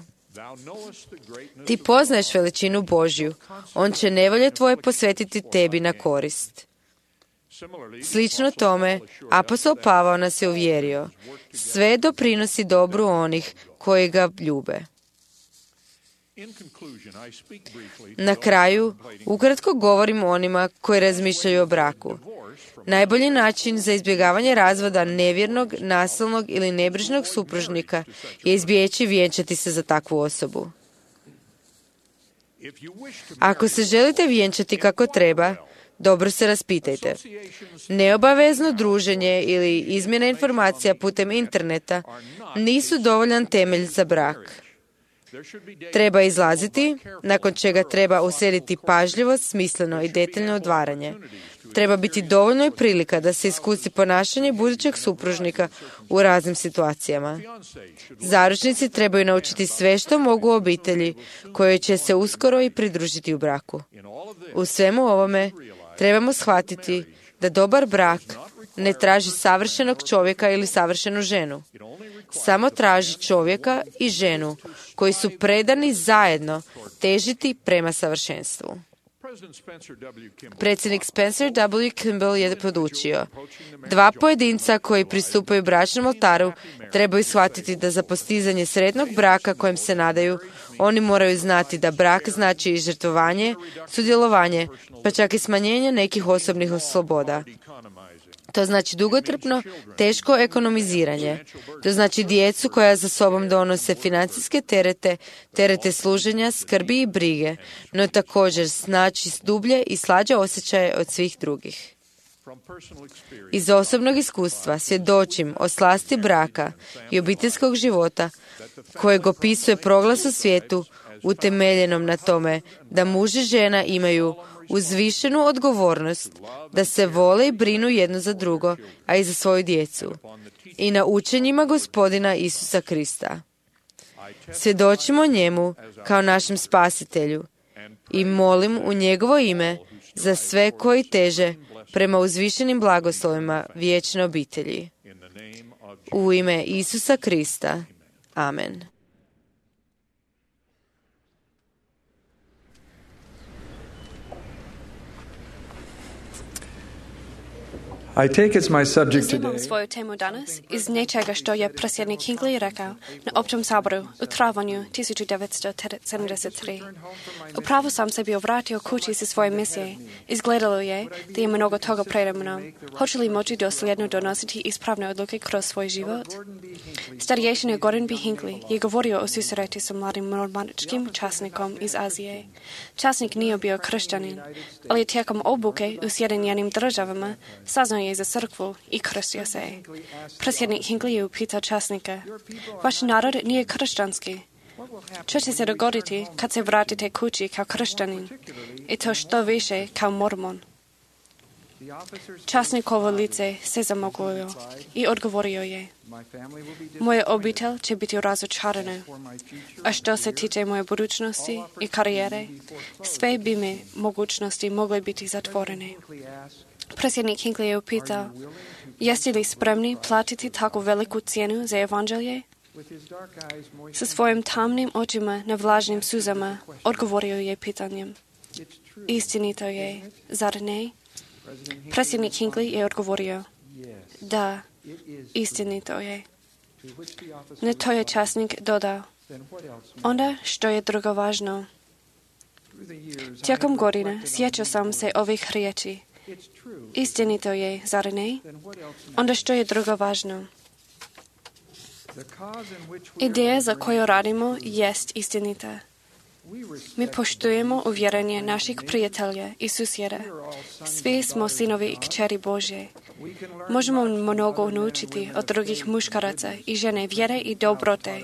Ti poznaješ veličinu Božju, on će nevolje tvoje posvetiti tebi na korist. Slično tome, apostol Pavao nas je uvjerio, sve doprinosi dobru onih koji ga ljube. Na kraju, ukratko govorim o onima koji razmišljaju o braku. Najbolji način za izbjegavanje razvoda nevjernog, nasilnog ili nebrižnog supružnika je izbjeći vjenčati se za takvu osobu. Ako se želite vjenčati kako treba, dobro se raspitajte. Neobavezno druženje ili izmjena informacija putem interneta nisu dovoljan temelj za brak. Treba izlaziti, nakon čega treba uslijediti pažljivo, smisleno i detaljno odvaranje. Treba biti dovoljno i prilika da se iskusi ponašanje budućeg supružnika u raznim situacijama. Zaručnici trebaju naučiti sve što mogu o obitelji koje će se uskoro i pridružiti u braku. U svemu ovome trebamo shvatiti da dobar brak ne traži savršenog čovjeka ili savršenu ženu. Samo traži čovjeka i ženu koji su predani zajedno težiti prema savršenstvu. Predsjednik Spencer W. Kimball je podučio: dva pojedinca koji pristupaju bračnom oltaru trebaju shvatiti da za postizanje sretnog braka kojem se nadaju, oni moraju znati da brak znači i žrtvovanje, sudjelovanje, pa čak i smanjenje nekih osobnih sloboda. To znači dugotrpno, teško ekonomiziranje. To znači djecu koja za sobom donose financijske terete služenja, skrbi i brige, no također znači dublje i slađe osjećaje od svih drugih. Iz osobnog iskustva svjedočim o slasti braka i obiteljskog života kojeg opisuje proglas u svijetu utemeljenom na tome da muž i žena imaju uzvišenu odgovornost da se vole i brinu jedno za drugo, a i za svoju djecu, i na učenjima Gospodina Isusa Krista. Svjedočimo njemu kao našem spasitelju i molim u njegovo ime za sve koji teže prema uzvišenim blagoslovima vječne obitelji. U ime Isusa Krista. Amen. Uzimam svoju temu danas iz nečega što je predsjednik Hinckley rekao na općem saboru u travanju 1973. Upravo sam se bio vratio kući sa svoje misije. Izgledalo je da ima mnogo toga pred mnom. Hoću li moći dosljedno donositi ispravne odluke kroz svoj život? Starješin Gordon B. Hinckley je govorio o susreti sa mladim mormoničkim časnikom iz Azije. Časnik nije bio kršćanin, ali tijekom obuke u Sjedinjenim Državama saznao je za crkvu i krstio se. Predsjednik Hinckley je upitao časnika: vaš narod nije kršćanski. Što će se dogoditi kad se vratite kući kao kršćanin i to što više kao mormon? Časnikovo lice se zamoglilo i odgovorio je: moja obitelj će biti razočarana, a što se tiče moje budućnosti i karijere, sve bi mi mogućnosti mogle biti zatvorene. Predsjednik Hinckley je upitao: jeste li spremni platiti tako veliku cijenu za evanđelje? Sa svojim tamnim očima na vlažnim suzama odgovorio je pitanjem: istinito je, zar ne? Predsjednik Hinckley je odgovorio: da, istinito je. Na to je časnik dodao: onda što je drugo važno? Tijekom godina sjećao sam se ovih riječi: istinito je, zar ne? Onda što je drugo važno? Ideja za koju radimo jest istinita. Mi poštujemo uvjerenje naših prijatelja i susjeda. Svi smo sinovi i kćeri Božje. Možemo mnogo naučiti od drugih muškaraca i žene vjere i dobrote.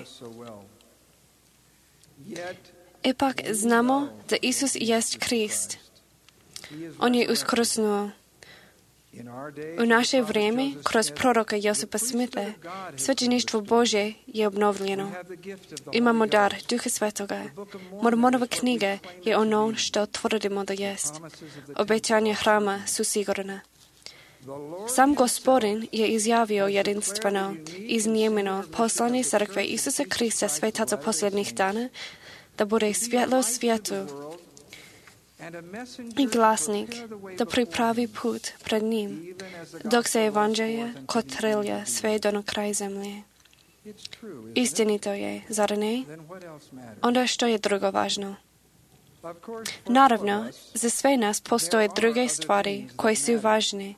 Ipak znamo da Isus jest Krist. On je uskrsnuo. U naše vrijeme, kroz proroka Josipa Smitha, svećeništvo Božje je obnovljeno. Imamo dar Duha Svetoga. Mormonova knjiga je ono što tvrdimo da jest. Obećanja hrama su sigurna. Sam Gospodin je izjavio jedinstveno, iznimeno poslanje crkve Isusa Krista svetaca posljednjih dana, da bude svjetlo svijetu i glasnik, da pripravi put pred njim, dok se evanđelje kotrilja sve do na kraj zemlje. Istinito je, zar ne? Onda što je drugo važno? Naravno, za sve nas postoje druge stvari koje su važne.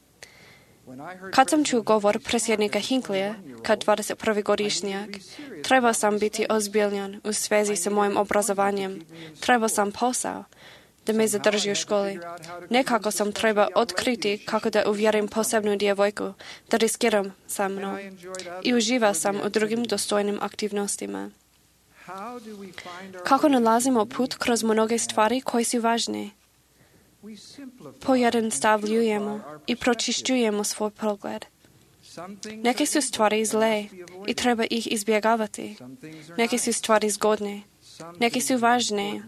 Kad sam čuo govor predsjednika Hinckleyja, kad 21-godišnjak, trebao sam biti ozbiljan u svezi sa mojim obrazovanjem. Trebao sam posao da me zadrži u školi. Nekako sam trebao otkriti kako da uvjerim posebnu djevojku, da riskiram sa mnom. I uživao sam u drugim dostojnim aktivnostima. Kako nalazimo put kroz mnoge stvari koje su važne? Pojednostavljujemo i pročišćujemo svoj pogled. Neke su stvari zle i treba ih izbjegavati. Neke su stvari zgodne. Neke su važne,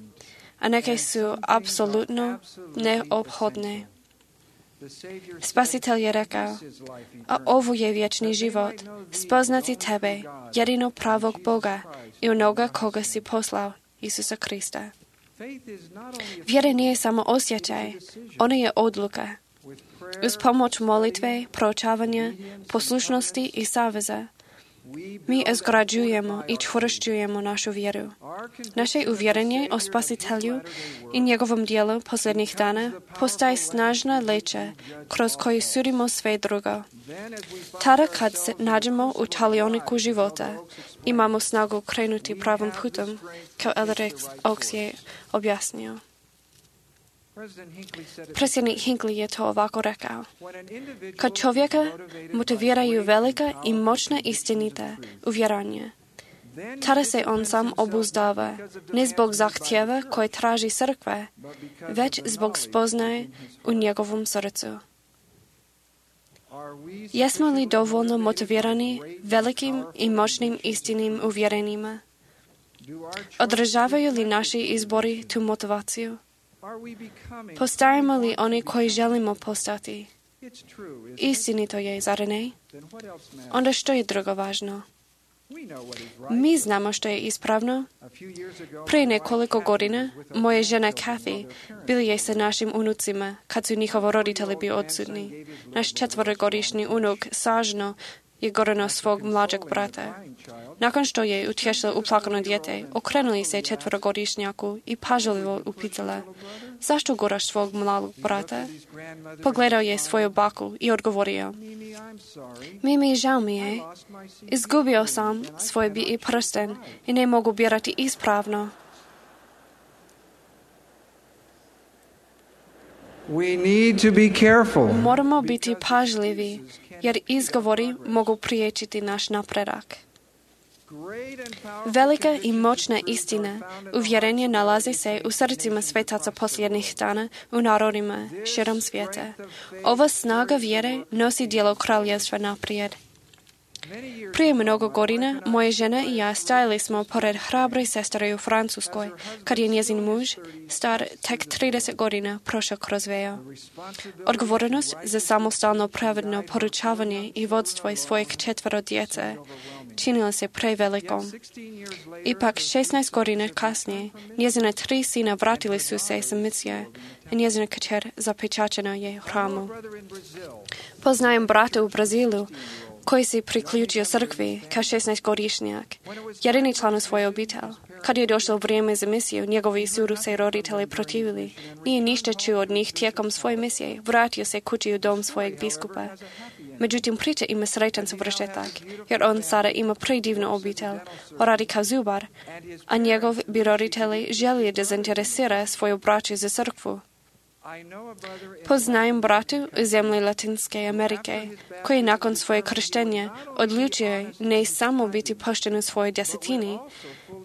a neke su apsolutno neophodne. Spasitelj je rekao, a ovo je vječni život, spoznati tebe, jedino pravog Boga i onoga koga si poslao, Isusa Krista. Vjera nije samo osjećaj, ona je odluka. Uz pomoć molitve, proučavanja, poslušnosti i saveza, mi izgrađujemo i čvršćujemo našu vjeru. Naše uvjerenje o Spasitelju i njegovom dijelu posljednjih dana postaje snažna leća kroz koju sudimo sve drugo. Tada kad se nađemo u talioniku života, imamo snagu krenuti pravim putem, kao Elder Oaks je objasnio. Predsjednik Hinckley je to ovako rekao. Kad čovjeka motiviraju velika i moćna istinita uvjeranja, tada se on sam obuzdava, ne zbog zahtjeva koje traži crkva, već zbog spoznaje u njegovom srcu. Jesmo li dovoljno motivirani velikim i moćnim istinim uvjerenjima? Održavaju li naši izbori tu motivaciju? Postajemo li oni koji želimo postati? Istinito je, zar ne? Onda što je drugo važno? Mi znamo što je ispravno. Prije nekoliko godina moja žena Kathy bila je sa našim unucima kad su njihovi roditelji bili odsutni. Naš 4-godišnji unuk sažno je gorano svog mlađeg brata. Nakon što je utješila uplakano dijete, okrenuli se 4-godišnjaku i pažljivo upitala, zašto goraš svog mladog brata? Pogledao je svoju baku i odgovorio, Mimi, žao mi je, izgubio sam svoj bi i prsten i ne mogu birati ispravno. Moramo biti pažljivi, jer izgovori mogu priječiti naš napredak. Velika i moćna istina, uvjerenje nalazi se u srcima svetaca posljednjih dana u narodima širom svijeta. Ova snaga vjere nosi djelo kraljevstva naprijed. Prije mnogo godina moja žena i ja stajali smo pored hrabre sestre u Francuskoj, kad je njezin muž, star tek 30 godina, prošao kroz veo. Odgovornost za samostalno pravedno poručavanje i vodstvo svojih 4 djece činila se prevelikom. Ipak 16 godina kasnije njezina 3 sina vratili su se sa misije i njezina kćer zapečaćena je u hramu. Poznajem brata u Brazilu koji se priključio crkvi kao 16-godišnjak, jedini član u svojoj obitelji. Kad je došlo vrijeme za misiju, njegovi su se roditelji protivili. Nije ništa čuo od njih tijekom svoje misije. Vratio se kući u dom svojeg biskupa. Međutim, priča ima sretan završetak, jer on sada ima predivnu obitelj, radi kao zubar, a njegov bi roditelji želije da zainteresira svoju braću za crkvu. Poznajem bratu u zemlji Latinske Amerike, koji nakon svoje krštenja odlučuje ne samo biti pošten u svojoj desetini,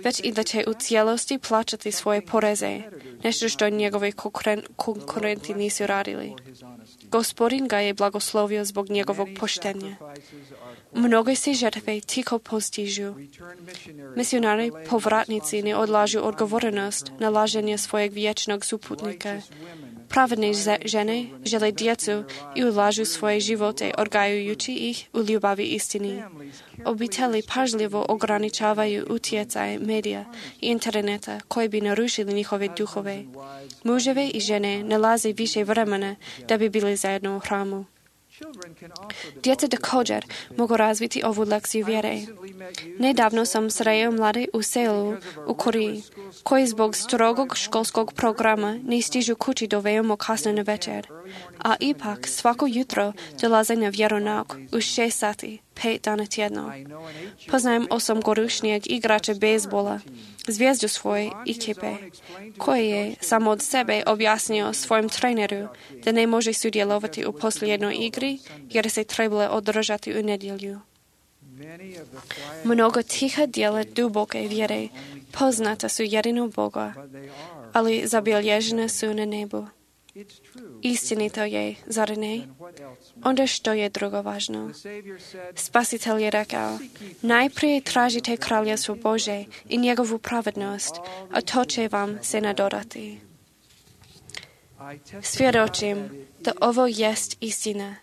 već i da će u cijelosti plaćati svoje poreze, nešto što njegovi konkurenti nisu radili. Gospodin ga je blagoslovio zbog njegovog poštenja. Mnoge se žrtve tiho postižu. Misionari povratnici ne odlažu odgovornost na laženje svojeg vječnog suputnika. Pravedne žene žele djecu i ulažu svoje živote odgajajući ih u ljubavi istini. Obitelji pažljivo ograničavaju utjecaj medija i interneta koji bi narušili njihove duhove. Muževi i žene nalaze više vremena da bi bili zajedno u hramu. Djeca također mogu razviti ovu lekciju vjere. Nedavno sam sreo mlade u selu u Koreji, koji zbog strogog školskog programa ne stižu kući do veoma kasno na večer, a ipak svako jutro dolaze na vjeronauk u 6 sati, 5 dana tjedno. Poznajem 8-godišnjeg igrača bejzbola, zvijezdu svoje ekipe, koji je samo od sebe objasnio svojem treneru da ne može sudjelovati u posljednjoj igri jer se trebalo održati u nedjelju. Mnogo tiha djela duboke vjere poznata su jedino Boga, ali zabilježena su na nebu. Istinito je, zar ne? Onda što je drugo važno? Spasitelj je rekao, najprije tražite kraljevstvo Bože i njegovu pravednost, a to će vam se nadodati. Svjedočim da ovo jest istina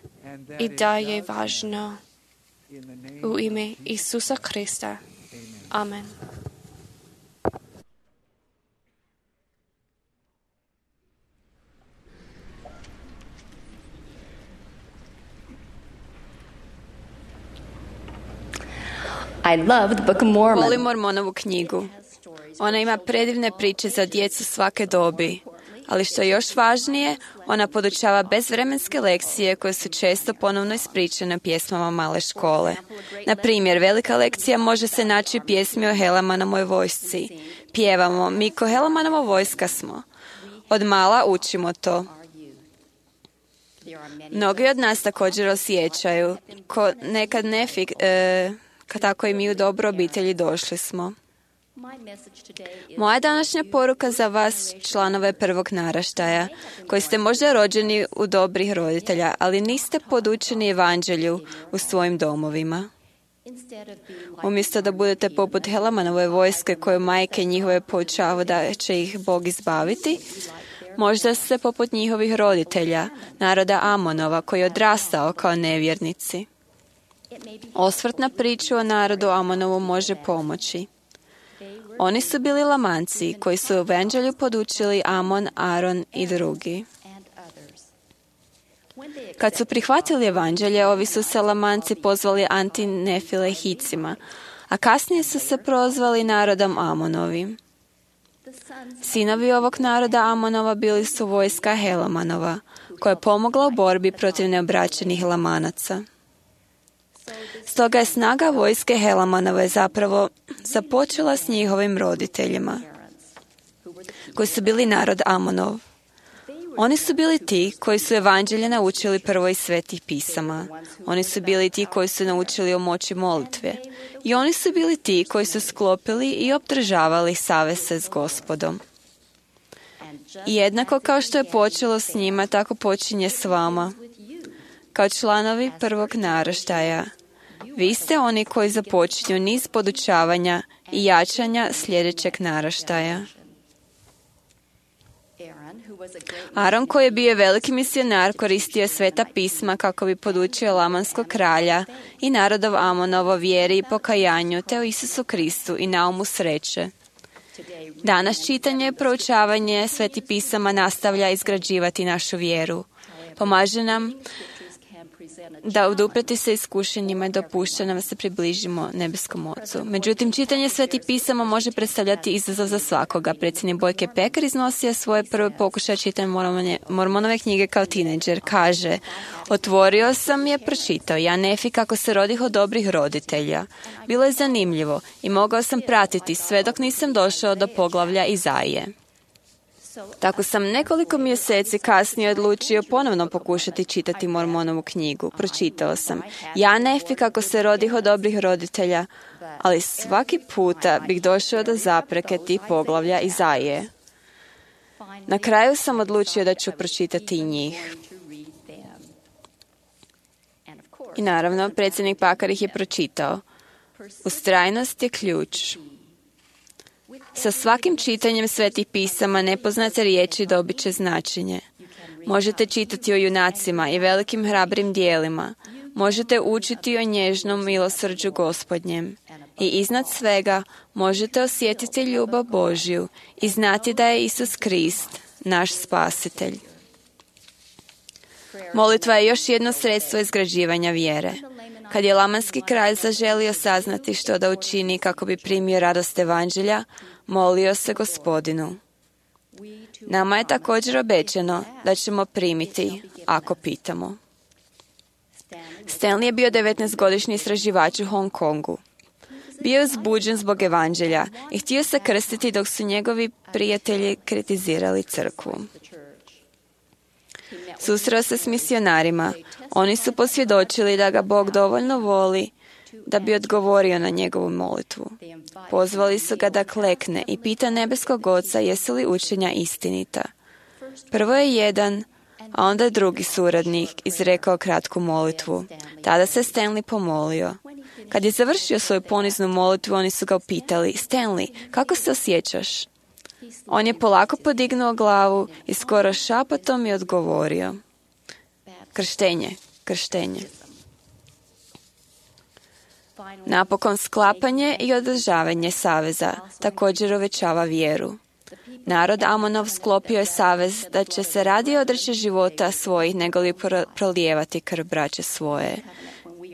i da je važno. U ime Isusa Krista. Amen. I love the Book of Mormon. Volim Mormonovu knjigu. Ona ima predivne priče za djecu svake dobi. Ali što je još važnije, ona podučava bezvremenske lekcije koje su često ponovno ispričane pjesmama male škole. Na primjer, velika lekcija može se naći u pjesmi o Helamanovoj vojsci. Pjevamo, mi ko Helamanova vojska smo. Od mala učimo to. Mnogi od nas također osjećaju, ko nekad kad tako i mi u dobro obitelji došli smo. Moja današnja poruka za vas, članove prvog naraštaja, koji ste možda rođeni u dobrih roditelja, ali niste podučeni evanđelju u svojim domovima. Umjesto da budete poput Helamanove vojske koju majke njihove poučavaju da će ih Bog izbaviti, možda ste poput njihovih roditelja, naroda Amonova, koji je odrastao kao nevjernici. Osvrt na priču o narodu Amonovu može pomoći. Oni su bili Lamanci koji su u evanđelju podučili Amon, Aron i drugi. Kad su prihvatili evanđelje, ovi su se Lamanci pozvali Antinefilehicima, a kasnije su se prozvali narodom Amonovim. Sinovi ovog naroda Amonova bili su vojska Helamanova, koja je pomogla u borbi protiv neobraćenih Lamanaca. Stoga je snaga vojske Helamanove zapravo započela s njihovim roditeljima, koji su bili narod Amonov. Oni su bili ti koji su evanđelje naučili prvo iz svetih pisama. Oni su bili ti koji su naučili o moći molitve. I oni su bili ti koji su sklopili i obdržavali saveze s Gospodom. I jednako kao što je počelo s njima, tako počinje s vama. Kao članovi prvog naraštaja, vi ste oni koji započinju niz podučavanja i jačanja sljedećeg naraštaja. Aron, koji je bio veliki misionar, koristio je sveta pisma kako bi podučio lamanskog kralja i narodov Amonovo vjeri i pokajanju, te o Isusu Kristu i naumu sreće. Danas čitanje i proučavanje svetih pisama nastavlja izgrađivati našu vjeru. Pomaže nam da odupreti se iskušenjima i dopušta nam da se približimo nebeskom Ocu. Međutim, čitanje svetih pisama može predstavljati izazov za svakoga. Predsjednik Bojke Pekar iznosio svoje prve pokušaje čitanja Mormonove knjige kao tinejdžer. Kaže, otvorio sam je, pročitao ja Nefi kako se rodih od dobrih roditelja. Bilo je zanimljivo i mogao sam pratiti sve dok nisam došao do poglavlja Izaije. Tako sam nekoliko mjeseci kasnije odlučio ponovno pokušati čitati Mormonovu knjigu. Pročitao sam: ja Nefi, kako se rodih od dobrih roditelja, ali svaki puta bih došao do zapreke tih poglavlja Izaije. Na kraju sam odlučio da ću pročitati i njih. I naravno, predsjednik Pakar ih je pročitao. Ustrajnost je ključ. Sa svakim čitanjem svetih pisama nepoznate riječi dobit će značenje. Možete čitati o junacima i velikim hrabrim dijelima. Možete učiti o nježnom milosrđu Gospodnjem. I iznad svega možete osjetiti ljubav Božju i znati da je Isus Krist, naš spasitelj. Molitva je još jedno sredstvo izgrađivanja vjere. Kad je lamanski kralj zaželio saznati što da učini kako bi primio radost evanđelja, molio se Gospodinu. Nama je također obećano da ćemo primiti ako pitamo. Stanley je bio 19-godišnji istraživač u Hong Kongu. Bio je uzbuđen zbog evanđelja i htio se krstiti dok su njegovi prijatelji kritizirali crkvu. Susreo se s misionarima. Oni su posvjedočili da ga Bog dovoljno voli da bi odgovorio na njegovu molitvu. Pozvali su ga da klekne i pita nebeskog Oca jesu li učenja istinita. Prvo je jedan, a onda je drugi suradnik izrekao kratku molitvu. Tada se Stanley pomolio. Kad je završio svoju poniznu molitvu, oni su ga upitali: Stanley, kako se osjećaš? On je polako podignuo glavu i skoro šapatom je odgovorio: krštenje, krštenje. Napokon sklapanje i održavanje saveza također uvećava vjeru. Narod Amonov sklopio je savez da će se radije odreći života svojih nego li prolijevati krv braće svoje.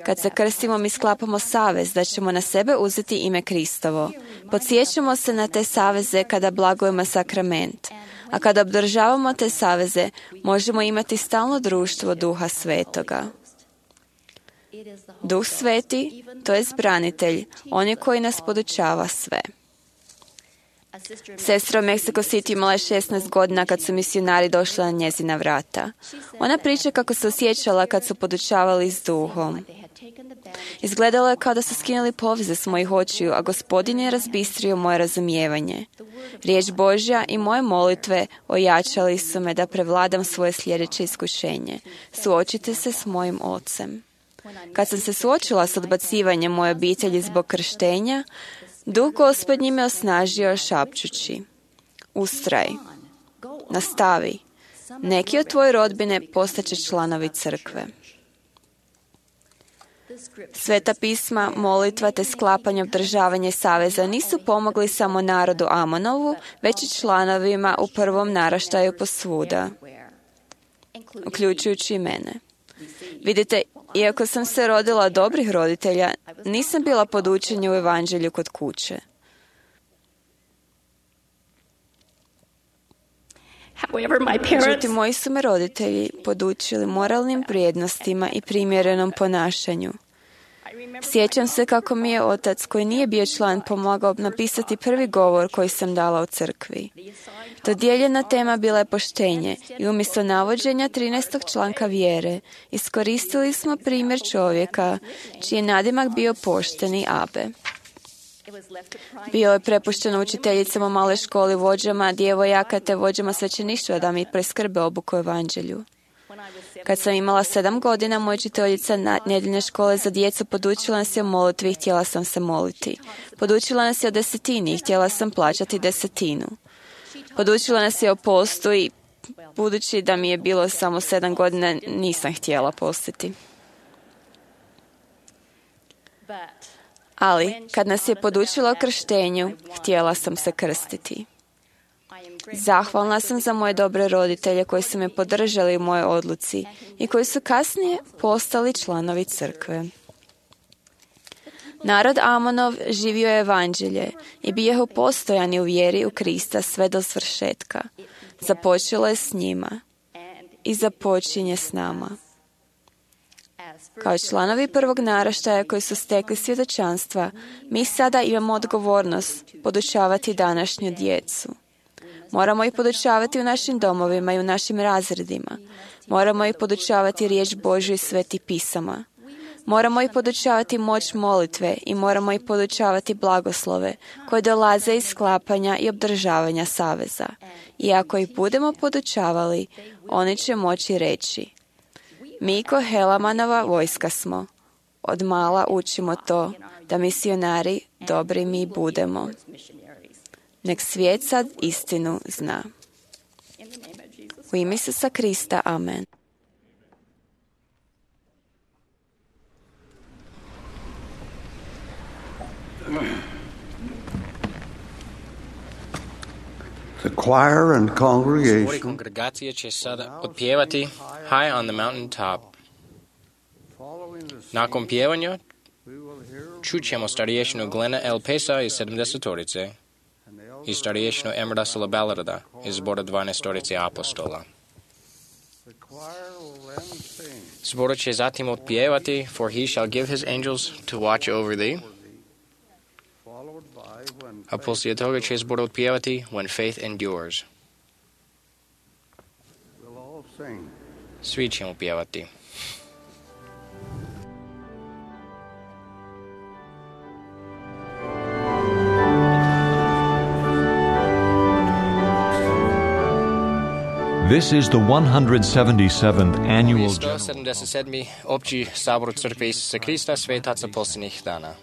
Kad se krstimo, mi sklapamo savez da ćemo na sebe uzeti ime Kristovo. Podsjećamo se na te saveze kada blagujemo sakrament. A kada obdržavamo te saveze, možemo imati stalno društvo Duha Svetoga. Duh Sveti, to je branitelj, on je koji nas podučava sve. Sestra u Mexico City imala je 16 godina kad su misionari došli na njezina vrata. Ona priča kako se osjećala kad su podučavali s duhom. Izgledalo je kao da su skinuli poveze s mojih očiju, a Gospodin je razbistrio moje razumijevanje. Riječ Božja i moje molitve ojačali su me da prevladam svoje sljedeće iskušenje. Suočite se s mojim ocem. Kad sam se suočila s odbacivanjem moje obitelji zbog krštenja, Duh Gospodnji me osnažio šapčući: ustraj, nastavi, neki od tvoje rodbine postaće članovi crkve. Sveta pisma, molitva te sklapanje održavanje saveza nisu pomogli samo narodu Amonovu, već i članovima u prvom naraštaju posvuda, uključujući i mene. Vidite, iako sam se rodila od dobrih roditelja, nisam bila podučena u evanđelju kod kuće. Međutim, moji su me roditelji podučili moralnim vrijednostima i primjerenom ponašanju. Sjećam se kako mi je otac, koji nije bio član, pomogao napisati prvi govor koji sam dala u crkvi. Dodijeljena tema bila je poštenje i umjesto navođenja 13. članka vjere iskoristili smo primjer čovjeka čiji je nadimak bio pošteni Abe. Bio je prepušteno učiteljicama u maloj školi, vođama djevojaka te vođama svećeništva da mi preskrbe obuku o evanđelju. Kad sam imala 7 godina, moja učiteljica nedjeljne škole za djecu podučila nas je o molitvi i htjela sam se moliti. Podučila nas je o desetini i htjela sam plaćati desetinu. Podučila nas je o postu i budući da mi je bilo samo 7 godina, nisam htjela postiti. Ali, kad nas je podučila o krštenju, htjela sam se krstiti. Zahvalna sam za moje dobre roditelje koji su me podržali u mojoj odluci i koji su kasnije postali članovi crkve. Narod Amonov živio je evanđelje i bio postojani u vjeri u Krista sve do svršetka. Započelo je s njima i započinje s nama. Kao članovi prvog naraštaja koji su stekli svjedočanstva, mi sada imamo odgovornost podučavati današnju djecu. Moramo ih podučavati u našim domovima i u našim razredima. Moramo ih podučavati riječ Božju i sveti pisama. Moramo ih podučavati moć molitve i moramo ih podučavati blagoslove koje dolaze iz sklapanja i obdržavanja saveza. I ako ih budemo podučavali, oni će moći reći: mi ko Helamanova vojska smo. Od mala učimo to, da misionari dobri mi budemo. Nek svijet sad istinu zna. U ime Isusa Krista, amen. The choir and Zbori congregation kongregacije će sada otpjevati High on the Mountain Top. Nakon pjevanja čućemo stariješinu Glena L. Pesa iz 70-torice i stariješinu M. Russella Ballarda iz zbora 12-torice apostola. Zbor će zatim otpjevati For he shall give his angels to watch over thee, a poslije toga će zbor otpjevati When faith endures. Svi ćemo pjevati. This is the 177th annual 177. opći sabor crkve Isusa Krista svetaca posljednjih dana.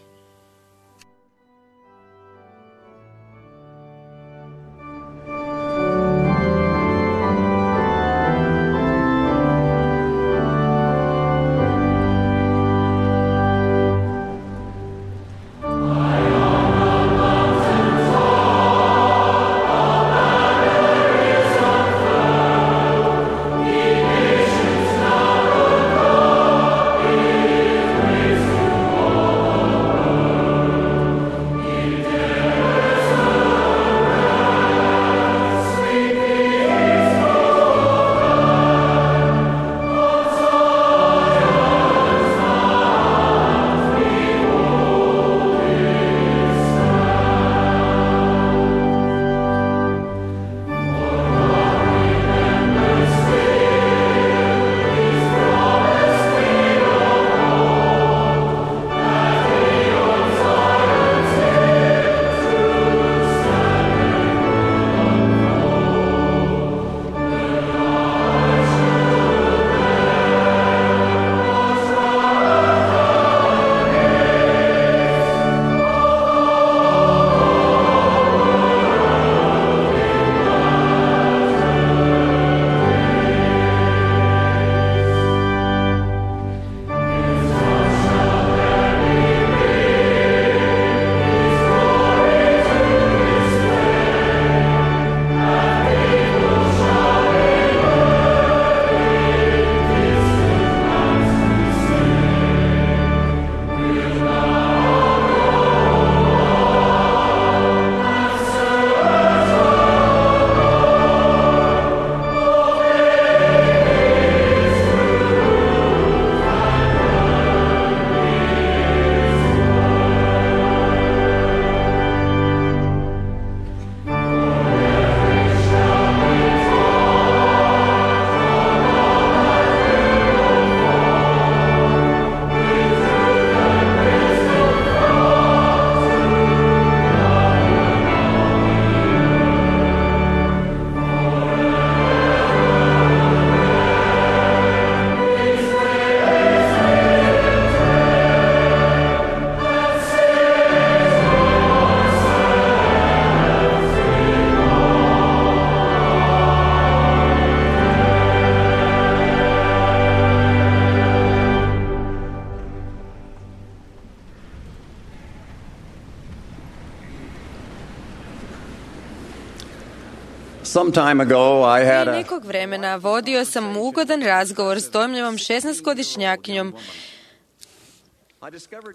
Some time ago, I had Prije a nekog vremena vodio sam ugodan razgovor s dojmljivom 16-godišnjakinjom.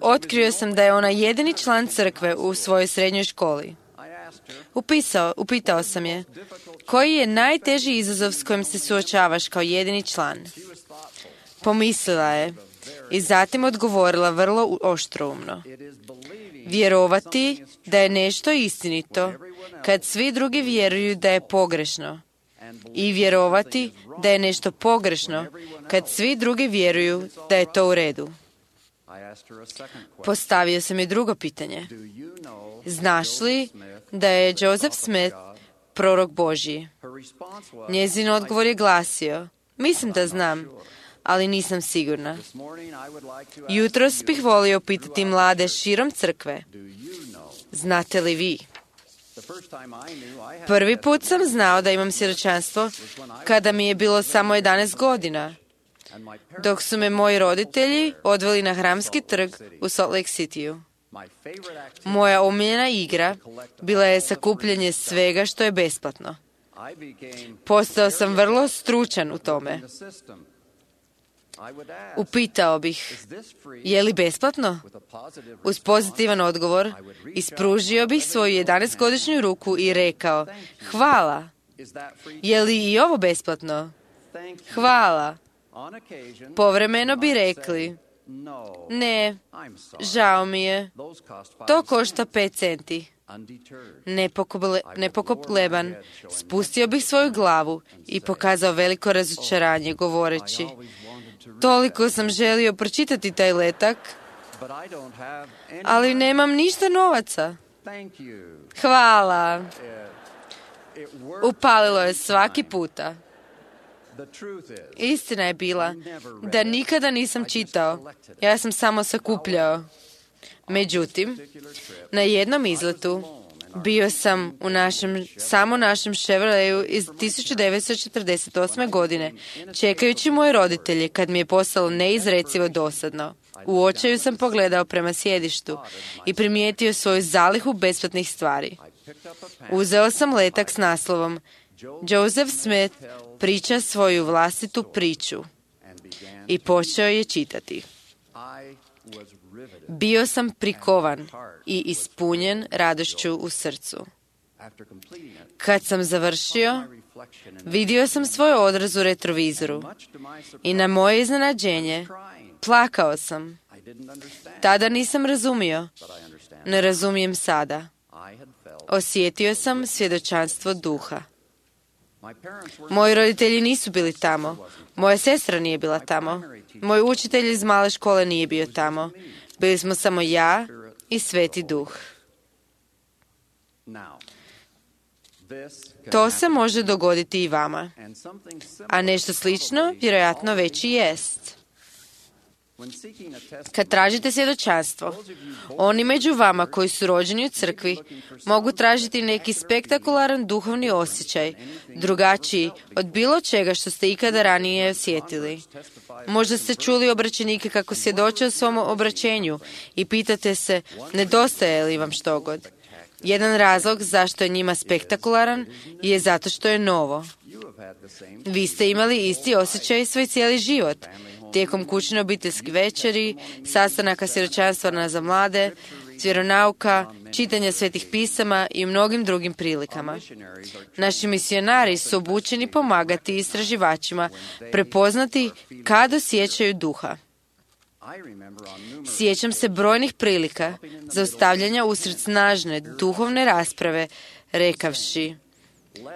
Otkrio sam da je ona jedini član crkve u svojoj srednjoj školi. Upitao sam je, koji je najteži izazov s kojim se suočavaš kao jedini član? Pomislila je i zatim odgovorila vrlo oštroumno. Vjerovati da je nešto istinito kad svi drugi vjeruju da je pogrešno i vjerovati da je nešto pogrešno kad svi drugi vjeruju da je to u redu. Postavio sam i drugo pitanje. Znaš li da je Joseph Smith prorok Božji? Njezin odgovor je glasio, mislim da znam, ali nisam sigurna. Jutros bih volio pitati mlade širom crkve, znate li vi? Prvi put sam znao da imam svjedočanstvo kada mi je bilo samo 11 godina, dok su me moji roditelji odveli na Hramski trg u Salt Lake Cityu. Moja omiljena igra bila je sakupljanje svega što je besplatno. Postao sam vrlo stručan u tome. Upitao bih, je li besplatno? Uz pozitivan odgovor, ispružio bih svoju 11-godišnju ruku i rekao, hvala. Je li i ovo besplatno? Hvala. Povremeno bi rekli, ne, žao mi je, to košta 5 centi. Nepokleban, spustio bih svoju glavu i pokazao veliko razočaranje govoreći, toliko sam želio pročitati taj letak, ali nemam ništa novaca. Hvala. Upalilo je svaki puta. Istina je bila da nikada nisam čitao, ja sam samo sakupljao. Međutim, na jednom izletu bio sam u našem Chevroletu iz 1948. godine, čekajući moje roditelje kad mi je postalo neizrecivo dosadno. U očaju sam pogledao prema sjedištu i primijetio svoju zalihu besplatnih stvari. Uzeo sam letak s naslovom Joseph Smith priča svoju vlastitu priču i počeo je čitati. Bio sam prikovan i ispunjen radošću u srcu. Kad sam završio, vidio sam svoj odraz u retrovizoru i na moje iznenađenje plakao sam. Tada nisam razumio, ne razumijem sada. Osjetio sam svjedočanstvo duha. Moji roditelji nisu bili tamo. Moja sestra nije bila tamo. Moj učitelj iz male škole nije bio tamo. Bili smo samo ja i Sveti Duh. To se može dogoditi i vama. A nešto slično vjerojatno već i jest. Kad tražite svjedočanstvo, oni među vama koji su rođeni u crkvi mogu tražiti neki spektakularan duhovni osjećaj, drugačiji od bilo čega što ste ikada ranije osjetili. Možda ste čuli obraćenike kako svjedoče o svom obraćenju i pitate se, nedostaje li vam štogod. Jedan razlog zašto je njima spektakularan je zato što je novo. Vi ste imali isti osjećaj svoj cijeli život. Tijekom kućne obiteljske večeri, sastanaka svjedočanstva za mlade, vjeronauka, čitanja svetih pisama i u mnogim drugim prilikama. Naši misionari su obučeni pomagati istraživačima prepoznati kad osjećaju duha. Sjećam se brojnih prilika zaustavljanja usred snažne duhovne rasprave, rekavši,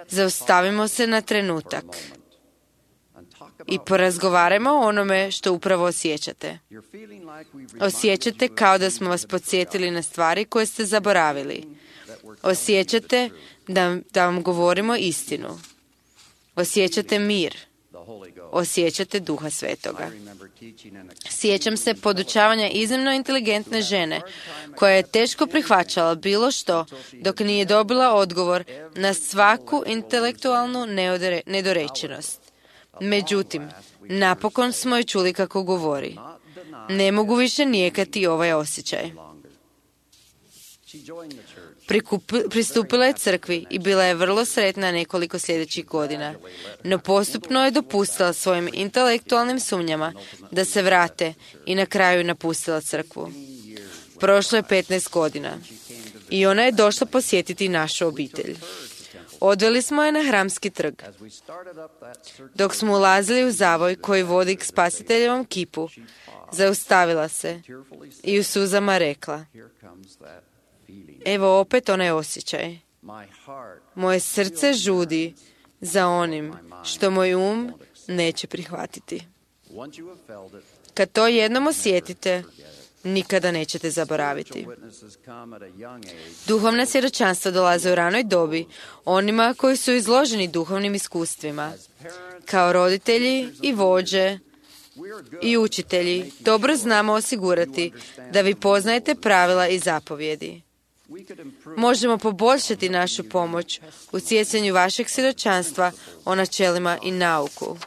zaustavimo se na trenutak i porazgovarajmo o onome što upravo osjećate. Osjećate kao da smo vas podsjetili na stvari koje ste zaboravili. Osjećate da vam govorimo istinu. Osjećate mir. Osjećate Duha Svetoga. Sjećam se podučavanja iznimno inteligentne žene koja je teško prihvaćala bilo što dok nije dobila odgovor na svaku intelektualnu nedorečenost. Međutim, napokon smo je čuli kako govori. Ne mogu više nijekati ovaj osjećaj. Pristupila je crkvi i bila je vrlo sretna nekoliko sljedećih godina, no postupno je dopustila svojim intelektualnim sumnjama da se vrate i na kraju napustila crkvu. Prošlo je 15 godina i ona je došla posjetiti našu obitelj. Odveli smo je na Hramski trg. Dok smo ulazili u zavoj koji vodi k Spasiteljevom kipu, zaustavila se i u suzama rekla, evo opet onaj osjećaj. Moje srce žudi za onim što moj neće prihvatiti. Kad to jednom osjetite, nikada nećete zaboraviti. Duhovna svjedočanstva dolaze u ranoj dobi onima koji su izloženi duhovnim iskustvima. Kao roditelji i vođe i učitelji dobro znamo osigurati da vi poznajete pravila i zapovjedi. Možemo poboljšati našu pomoć u stjecanju vašeg svjedočanstva o načelima i nauku.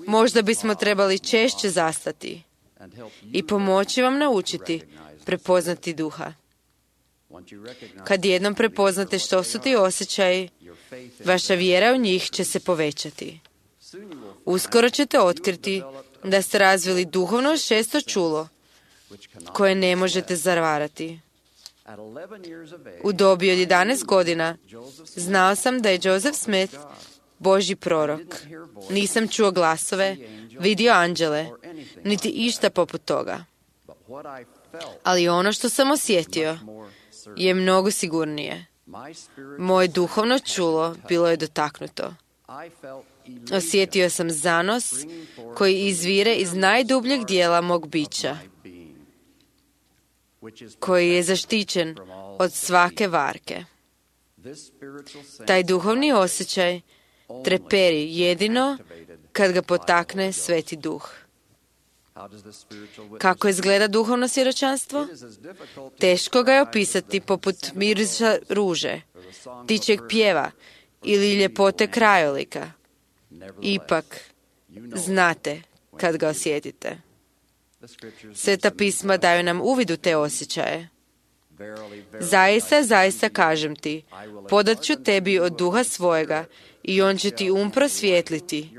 Možda bismo trebali češće zastati i pomoći vam naučiti prepoznati duha. Kad jednom prepoznate što su ti osjećaji, vaša vjera u njih će se povećati. Uskoro ćete otkriti da ste razvili duhovno šesto čulo koje ne možete zavarati. U dobi od 11 godina znao sam da je Joseph Smith Božji prorok. Nisam čuo glasove, vidio anđele, niti išta poput toga. Ali ono što sam osjetio je mnogo sigurnije. Moje duhovno čulo bilo je dotaknuto. Osjetio sam zanos koji izvire iz najdubljeg dijela mog bića, koji je zaštićen od svake varke. Taj duhovni osjećaj treperi jedino kad ga potakne Sveti Duh. Kako izgleda duhovno svjedočanstvo? Teško ga je opisati poput mirisa ruže, ptičjeg pjeva ili ljepote krajolika. Ipak, znate kad ga osjetite. Sveta pisma daju nam uvid u te osjećaje. Zaista kažem ti, podat ću tebi od duha svojega i on će ti prosvijetliti,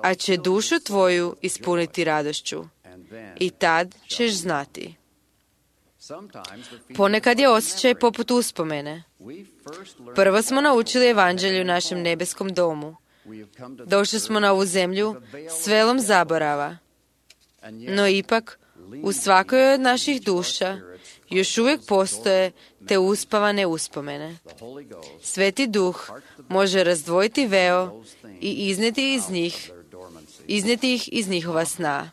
a će dušu tvoju ispuniti radošću. I tad ćeš znati. Ponekad je osjećaj poput uspomene. Prvo smo naučili evanđelje u našem nebeskom domu. Došli smo na ovu zemlju s velom zaborava. No ipak, u svakoj od naših duša još uvijek postoje te uspavane uspomene. Sveti Duh može razdvojiti veo i iznijeti ih iz njihova sna.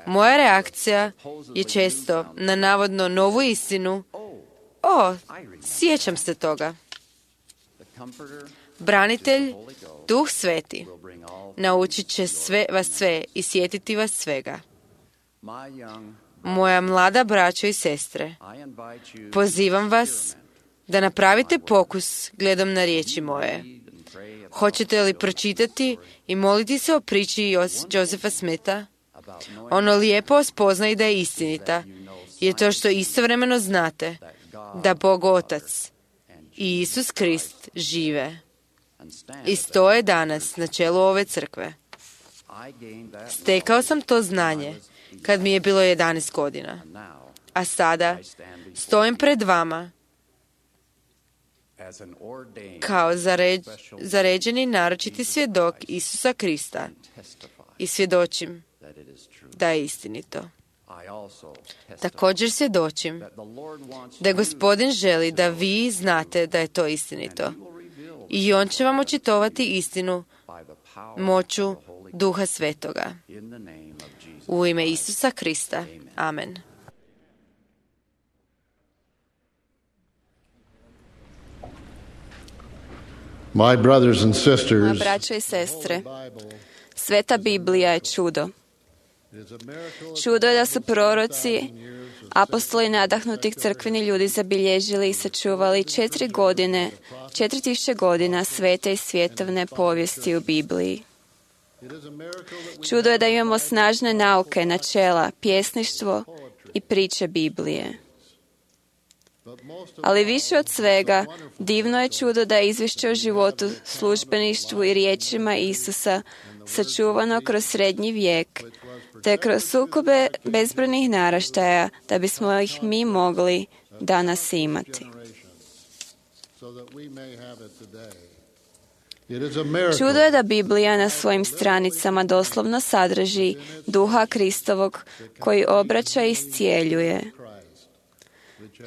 Moja reakcija je često na navodno novu istinu. Sjećam se toga. Branitelj, Duh Sveti, naučit će vas sve i sjetiti vas svega. Moja mlada braćo i sestre, pozivam vas da napravite pokus gledom na riječi moje. Hoćete li pročitati i moliti se o priči Josepha Smitha? Ono lijepo spoznaje da je istinita, je to što istovremeno znate da Bog Otac i Isus Krist žive i stoje danas na čelu ove crkve. Stekao sam to znanje kad mi je bilo 11 godina, a sada stojim pred vama kao zaređeni naročiti svjedok Isusa Krista i svjedočim da je istinito. Također svjedočim da Gospodin želi da vi znate da je to istinito i on će vam očitovati istinu moću Duha Svetoga. U ime Isusa Krista. Amen. My brothers and sisters, moja braćo i sestre, Sveta Biblija je čudo. Čudo je da su proroci, apostoli nadahnutih crkveni ljudi zabilježili i sačuvali 4000 godina svete i svjetovne povijesti u Bibliji. Čudo je da imamo snažne nauke, načela, pjesništvo i priče Biblije. Ali više od svega, divno je čudo da je izvješće o životu, službeništvu i riječima Isusa sačuvano kroz srednji vijek, te kroz sukobe bezbrojnih naraštaja, da bismo ih mi mogli danas imati. Čudo je da Biblija na svojim stranicama doslovno sadrži Duha Kristovog koji obraća i iscijeljuje.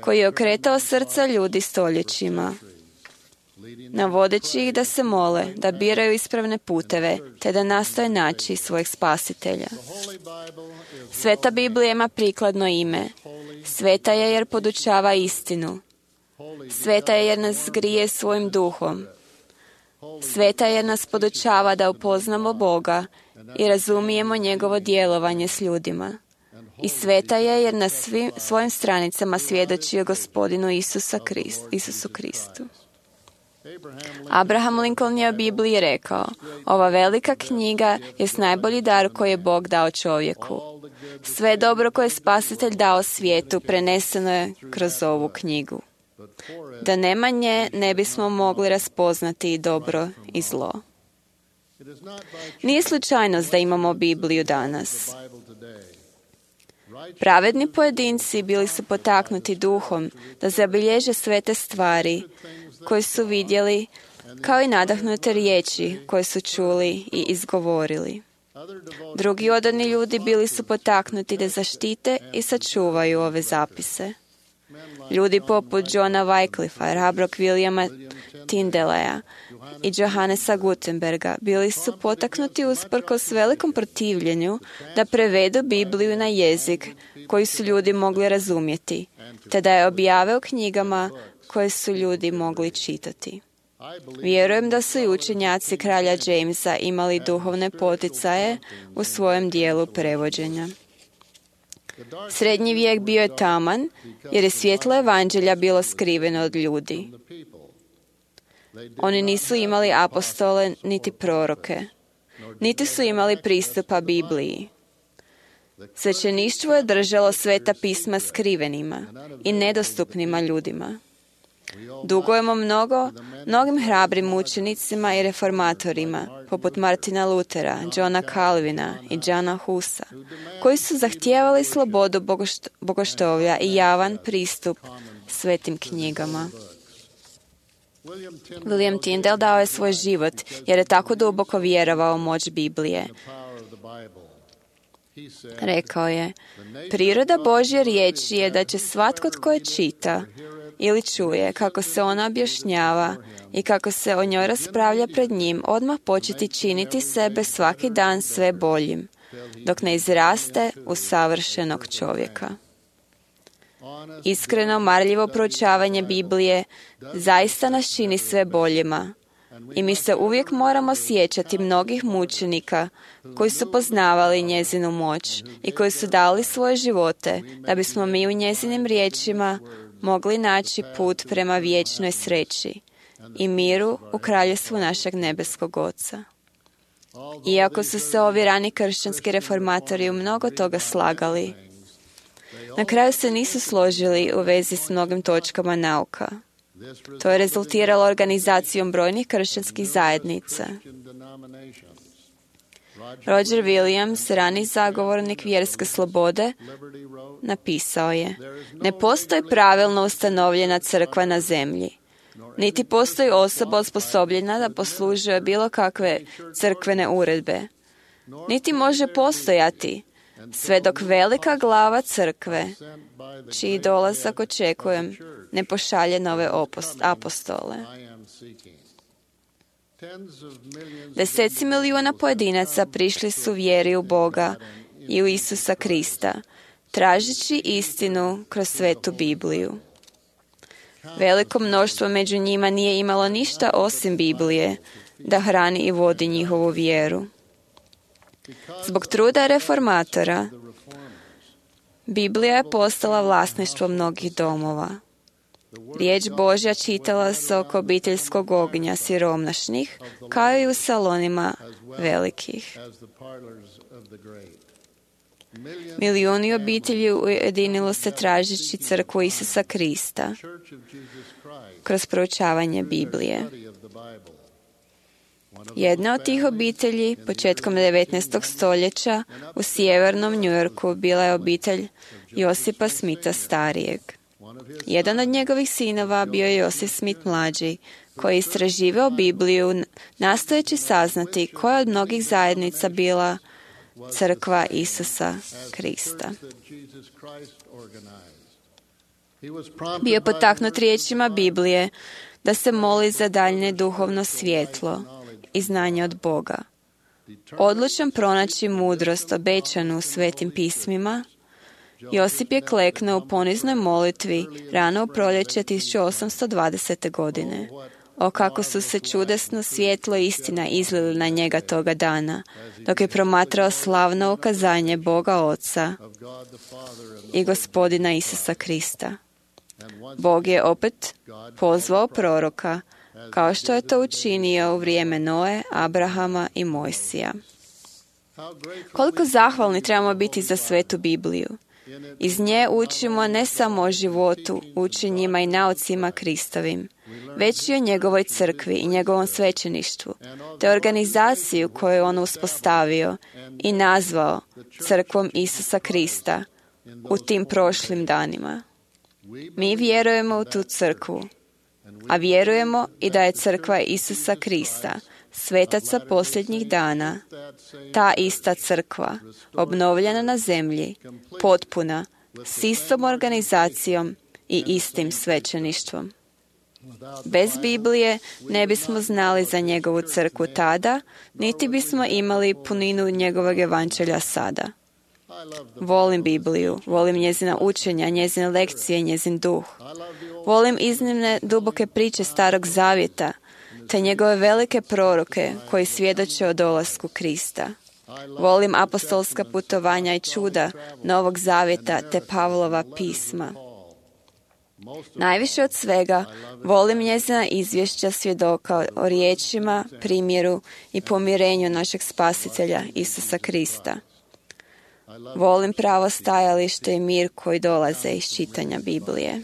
koji je okretao srca ljudi stoljećima, navodeći ih da se mole, da biraju ispravne puteve, te da nastoje naći svojeg spasitelja. Sveta Biblija ima prikladno ime. Sveta je jer podučava istinu. Sveta je jer nas grije svojim duhom. Sveta je jer nas podučava da upoznamo Boga i razumijemo njegovo djelovanje s ljudima. I sveta je jer na svim svojim stranicama svjedoči o Gospodinu Isusu Kristu. Abraham Lincoln je o Bibliji rekao: ova velika knjiga je najbolji dar koji je Bog dao čovjeku. Sve dobro koje je Spasitelj dao svijetu preneseno je kroz ovu knjigu. Da nema nje, ne bismo mogli raspoznati i dobro i zlo. Nije slučajnost da imamo Bibliju danas. Pravedni pojedinci bili su potaknuti duhom da zabilježe sve te stvari koje su vidjeli, kao i nadahnute riječi koje su čuli i izgovorili. Drugi odani ljudi bili su potaknuti da zaštite i sačuvaju ove zapise. Ljudi poput Johna Wycliffa, hrabrog Williama Tyndaleya i Johannesa Gutenberga bili su potaknuti usprkos velikom protivljenju da prevedu Bibliju na jezik koji su ljudi mogli razumjeti, te da je objave u knjigama koje su ljudi mogli čitati. Vjerujem da su i učenjaci kralja Jamesa imali duhovne poticaje u svojem dijelu prevođenja. Srednji vijek bio je taman, jer je svjetlo evanđelja bilo skriveno od ljudi. Oni nisu imali apostole niti proroke, niti su imali pristupa Bibliji. Svećeništvo je držalo sveta pisma skrivenima i nedostupnima ljudima. Dugujemo mnogim hrabrim učenicima i reformatorima, poput Martina Lutera, Johna Calvina i Johna Husa, koji su zahtijevali slobodu bogoštovlja i javan pristup svetim knjigama. William Tyndale dao je svoj život jer je tako duboko vjerovao u moć Biblije. Rekao je: priroda Božje riječi je da će svatko tko je čita ili čuje kako se ona objašnjava i kako se o njoj raspravlja pred njim, odmah početi činiti sebe svaki dan sve boljim, dok ne izraste u savršenog čovjeka. Iskreno, marljivo proučavanje Biblije zaista nas čini sve boljima i mi se uvijek moramo sjećati mnogih mučenika koji su poznavali njezinu moć i koji su dali svoje živote da bismo mi u njezinim riječima mogli naći put prema vječnoj sreći i miru u kraljevstvu našeg nebeskog Oca. Iako su se ovi rani kršćanski reformatori u mnogo toga slagali, na kraju se nisu složili u vezi s mnogim točkama nauka. To je rezultiralo organizacijom brojnih kršćanskih zajednica. Roger Williams, rani zagovornik vjerske slobode, napisao je: ne postoji pravilno ustanovljena crkva na zemlji, niti postoji osoba osposobljena da poslužuje bilo kakve crkvene uredbe, niti može postojati sve dok velika glava crkve, čiji dolazak očekujem, ne pošalje nove apostole. Deseci milijuna pojedinaca prišli su vjeri u Boga i u Isusa Krista, tražeći istinu kroz svetu Bibliju. Veliko mnoštvo među njima nije imalo ništa osim Biblije da hrani i vodi njihovu vjeru. Zbog truda reformatora, Biblija je postala vlasništvo mnogih domova. Riječ Božja čitala se oko obiteljskog ognja siromašnih, kao i u salonima velikih. Milijuni obitelji ujedinilo se tražeći crkvu Isusa Krista kroz proučavanje Biblije. Jedna od tih obitelji, početkom 19. stoljeća, u sjevernom New Yorku bila je obitelj Josipa Smitha starijeg. Jedan od njegovih sinova bio je Josip Smith mlađi, koji je istraživao Bibliju, nastojeći saznati koja od mnogih zajednica bila crkva Isusa Krista. Bio je potaknut riječima Biblije da se moli za daljnje duhovno svjetlo i znanje od Boga. Odlučan pronaći mudrost obećanu u svetim pismima, Josip je kleknuo u poniznoj molitvi rano u proljeće 1820. godine. O kako su se čudesno svjetlo i istina izlili na njega toga dana, dok je promatrao slavno ukazanje Boga Oca i Gospodina Isusa Krista. Bog je opet pozvao proroka, kao što je to učinio u vrijeme Noe, Abrahama i Mojsija. Koliko zahvalni trebamo biti za svetu Bibliju. Iz nje učimo ne samo o životu, učenjima i naucima Kristovim, već i o njegovoj crkvi i njegovom svećeništvu, te organizaciju koju je on uspostavio i nazvao crkvom Isusa Krista u tim prošlim danima. Mi vjerujemo u tu crkvu, a vjerujemo i da je crkva Isusa Krista, svetaca posljednjih dana, ta ista crkva, obnovljena na zemlji, potpuna, s istom organizacijom i istim svećeništvom. Bez Biblije ne bismo znali za njegovu crkvu tada, niti bismo imali puninu njegovog evanđelja sada. Volim Bibliju, volim njezina učenja, njezine lekcije, njezin duh. Volim iznimne duboke priče Starog Zavjeta, te njegove velike proroke koji svjedoče o dolasku Krista. Volim apostolska putovanja i čuda Novog Zavjeta te Pavlova pisma. Najviše od svega volim njezina izvješća svjedoka o riječima, primjeru i pomirenju našeg Spasitelja Isusa Krista. Volim pravo stajalište i mir koji dolaze iz čitanja Biblije.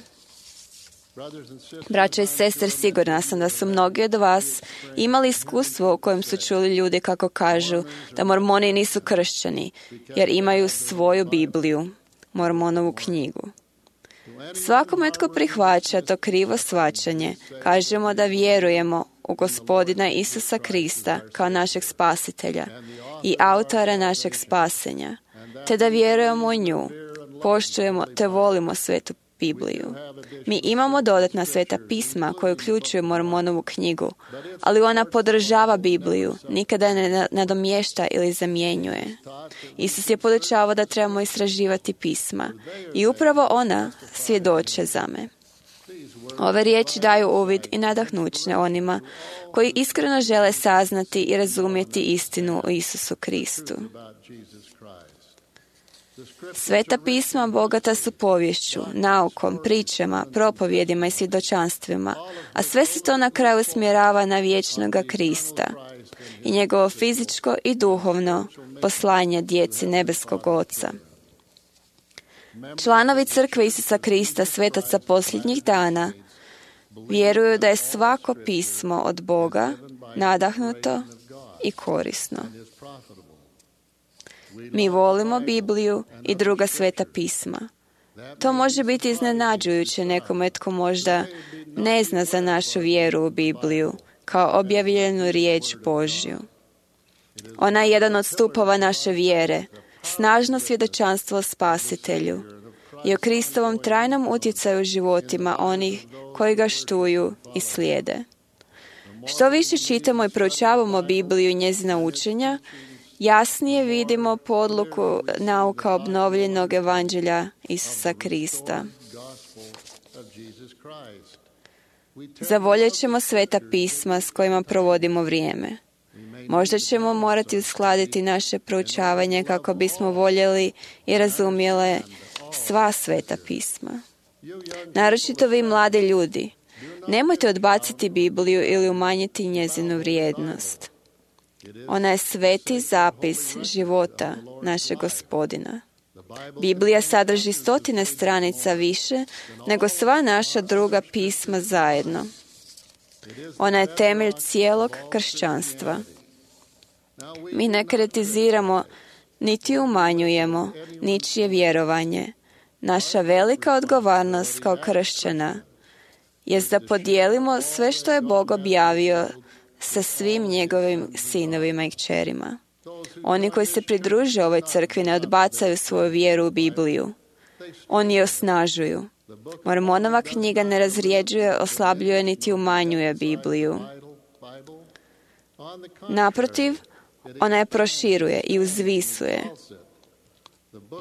Braćo i sestre, sigurna sam da su mnogi od vas imali iskustvo u kojem su čuli ljudi kako kažu da mormoni nisu kršćani, jer imaju svoju Bibliju, Mormonovu knjigu. Svakome tko prihvaća to krivo shvaćanje, kažemo da vjerujemo u Gospodina Isusa Krista kao našeg Spasitelja i autora našeg spasenja, te da vjerujemo u nju, poštujemo te volimo svetu Bibliju. Mi imamo dodatna sveta pisma koje uključuju Mormonovu knjigu, ali ona podržava Bibliju, nikada je ne nadomješta ili zamjenjuje. Isus je podučavao da trebamo istraživati pisma i upravo ona svjedoče za me. Ove riječi daju uvid i nadahnuće onima koji iskreno žele saznati i razumjeti istinu o Isusu Kristu. Sveta pisma bogata su povješću, naukom, pričama, propovjedima i svjedočanstvima, a sve se to na kraju usmjerava na vječnoga Krista i njegovo fizičko i duhovno poslanje djeci nebeskog Oca. Članovi crkve Isusa Krista, svetaca posljednjih dana, vjeruju da je svako pismo od Boga nadahnuto i korisno. Mi volimo Bibliju i druga sveta pisma. To može biti iznenađujuće nekome tko možda ne zna za našu vjeru u Bibliju kao objavljenu riječ Božju. Ona je jedan od stupova naše vjere, snažno svjedočanstvo o Spasitelju i o Kristovom trajnom utjecaju u životima onih koji ga štuju i slijede. Što više čitamo i proučavamo Bibliju i njezina učenja, jasnije vidimo podluku nauka obnovljenog evanđelja Isusa Krista. Zavoljet ćemo sveta pisma s kojima provodimo vrijeme. Možda ćemo morati uskladiti naše proučavanje kako bismo voljeli i razumjeli sva sveta pisma. Naročito vi mladi ljudi, nemojte odbaciti Bibliju ili umanjiti njezinu vrijednost. Ona je sveti zapis života našeg Gospodina. Biblija sadrži 100 stranica više nego sva naša druga pisma zajedno. Ona je temelj cijelog kršćanstva. Mi ne kritiziramo niti umanjujemo ničije vjerovanje. Naša velika odgovornost kao kršćana jest da podijelimo sve što je Bog objavio sa svim njegovim sinovima i kćerima. Oni koji se pridruže ovoj crkvi ne odbacaju svoju vjeru u Bibliju. Oni je osnažuju. Mormonova knjiga ne razrijeđuje, oslabljuje niti umanjuje Bibliju. Naprotiv, ona je proširuje i uzvisuje.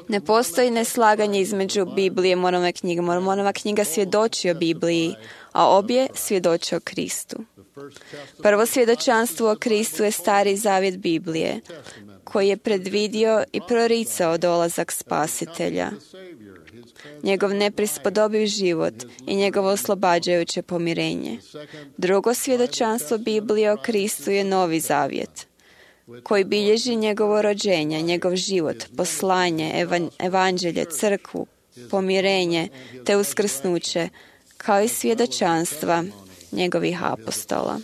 Ne postoji neslaganje između Biblije i Mormonove knjige. Mormonova knjiga svjedoči o Bibliji, a obje svjedoče o Kristu. Prvo svjedočanstvo o Kristu je Stari zavjet Biblije, koji je predvidio i proricao dolazak Spasitelja, njegov neprispodobiv život i njegovo oslobađajuće pomirenje. Drugo svjedočanstvo Biblije o Kristu je Novi zavjet, koji bilježi njegovo rođenje, njegov život, poslanje, evanđelje, crkvu, pomirenje te uskrsnuće, kao i svjedočanstva njegovih apostola.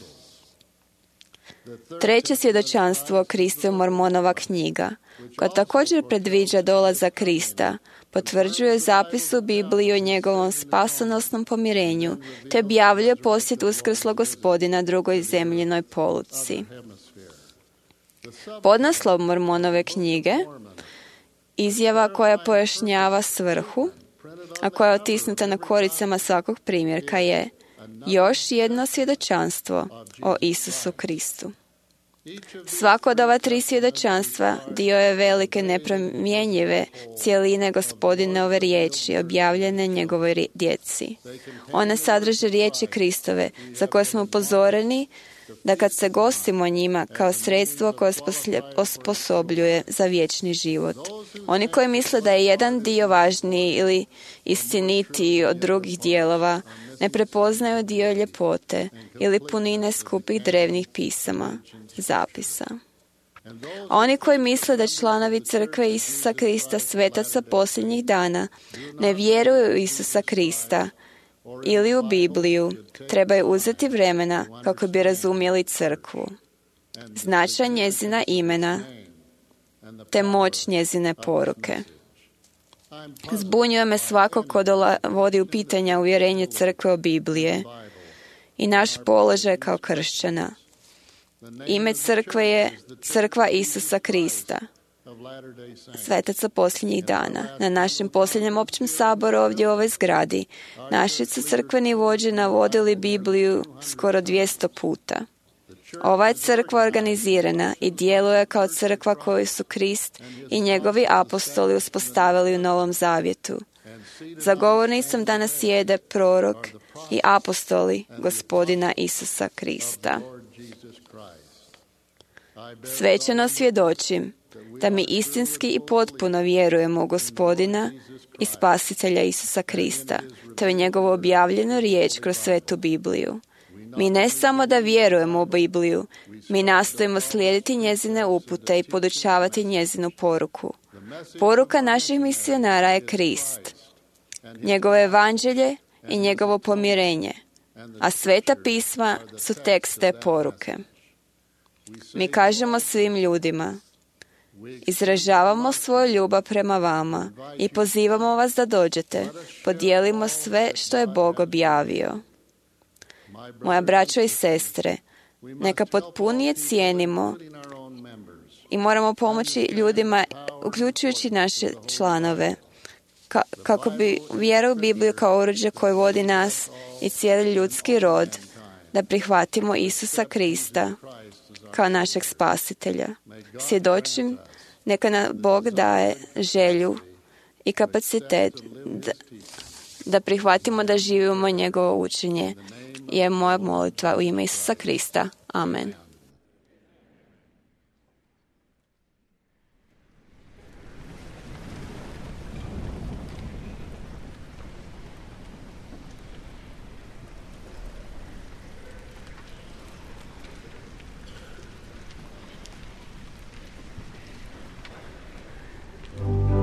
Treće svjedočanstvo o Kristu je Mormonova knjiga, koja također predviđa dolazak Krista, potvrđuje zapis u Bibliji o njegovom spasonosnom pomirenju, te objavljuje posjet uskrslog Gospodina drugoj zemljinoj poluci. Podnaslov Mormonove knjige, izjava koja pojašnjava svrhu, a koja je otisnuta na koricama svakog primjerka, je još jedno svjedočanstvo o Isusu Kristu. Svako od ova tri svjedočanstva dio je velike nepromjenjive cjeline Gospodinove riječi objavljene njegovoj djeci. One sadrže riječi Kristove, za koje smo upozoreni da kad se gostimo njima kao sredstvo koje osposobljuje za vječni život. Oni koji misle da je jedan dio važniji ili istinitiji od drugih dijelova, ne prepoznaju dio ljepote ili punine skupih drevnih pisama, zapisa. A oni koji misle da članovi crkve Isusa Krista, svetaca posljednjih dana, ne vjeruju u Isusa Krista ili u Bibliju, trebaju uzeti vremena kako bi razumjeli crkvu, značaj njezina imena, te moć njezine poruke. Zbunjuje me svako ko vodi u pitanja uvjerenje crkve o Biblije i naš položaj kao kršćana. Ime crkve je Crkva Isusa Krista, svetaca posljednjih dana. Na našem posljednjem općem saboru ovdje u ovoj zgradi naši su crkveni vođe navodili Bibliju skoro 200 puta. Ova je crkva organizirana i djeluje kao crkva koju su Krist i njegovi apostoli uspostavili u Novom Zavjetu. Za govornicom danas sjede prorok i apostoli Gospodina Isusa Krista. Svečano svjedočim da mi istinski i potpuno vjerujemo u Gospodina i Spasitelja Isusa Krista, te u njegovu objavljenu riječ kroz svetu Bibliju. Mi ne samo da vjerujemo u Bibliju, mi nastojimo slijediti njezine upute i podučavati njezinu poruku. Poruka naših misionara je Krist, njegovo evanđelje i njegovo pomirenje, a sveta pisma su tekst te poruke. Mi kažemo svim ljudima, izražavamo svoju ljubav prema vama i pozivamo vas da dođete, podijelimo sve što je Bog objavio. Moja braćo i sestre, neka potpunije cijenimo i moramo pomoći ljudima, uključujući naše članove, kako bi vjera u Bibliju kao oruđe koje vodi nas i cijeli ljudski rod, da prihvatimo Isusa Krista kao našeg spasitelja. Svjedočim, neka nam Bog daje želju i kapacitet da prihvatimo da živimo njegovo učenje. Je moja molitva u ime Isusa Krista. Amen. Oh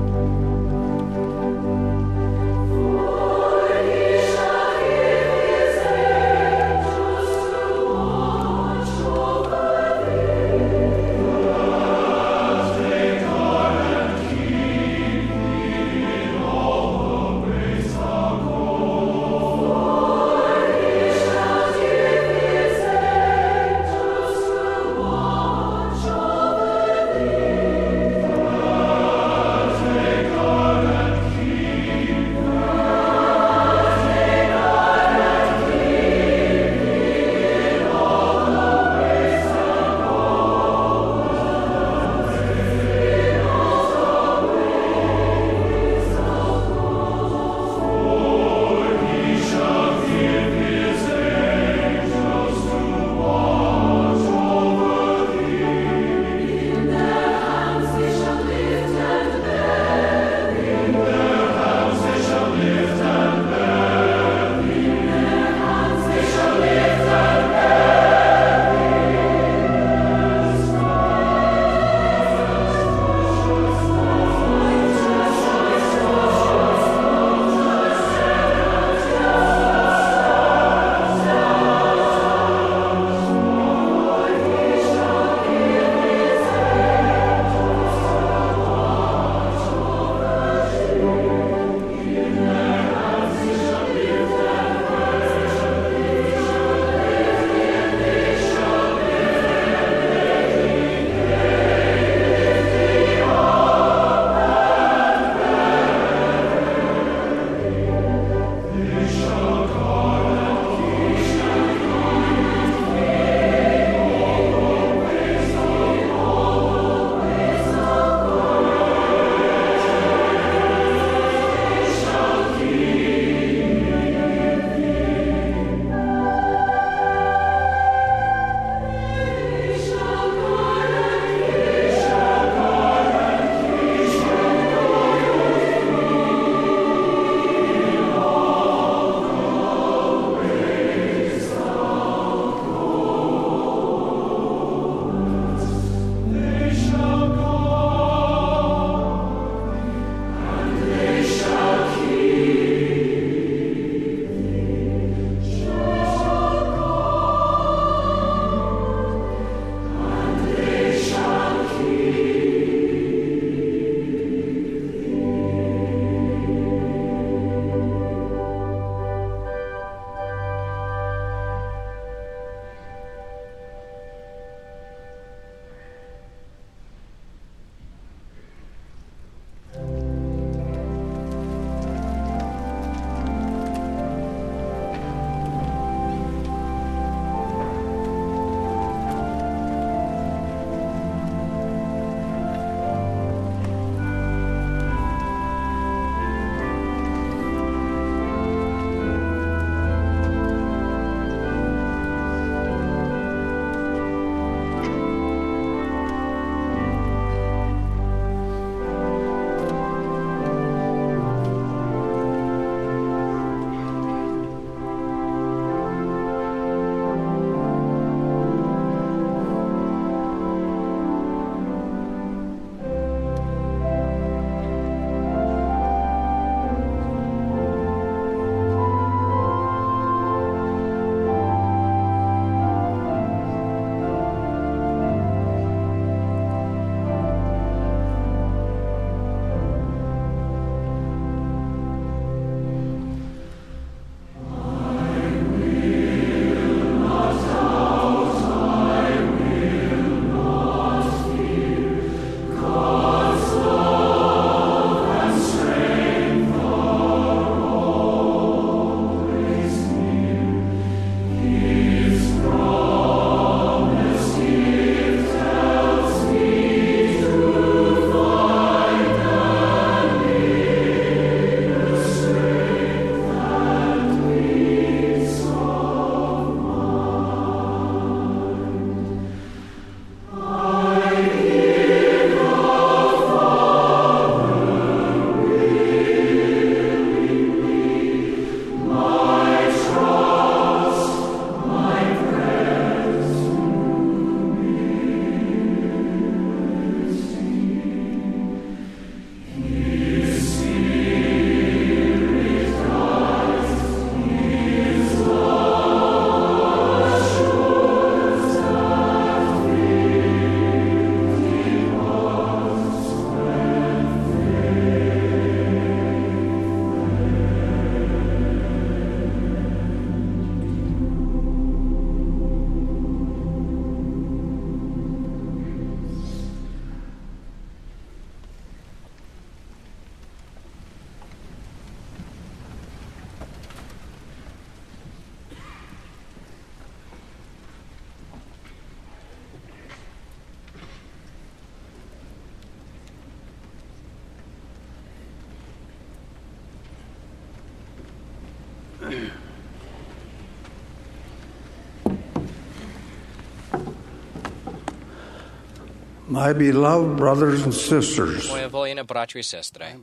My beloved brothers and sisters, Moje voljene braćo i sestre,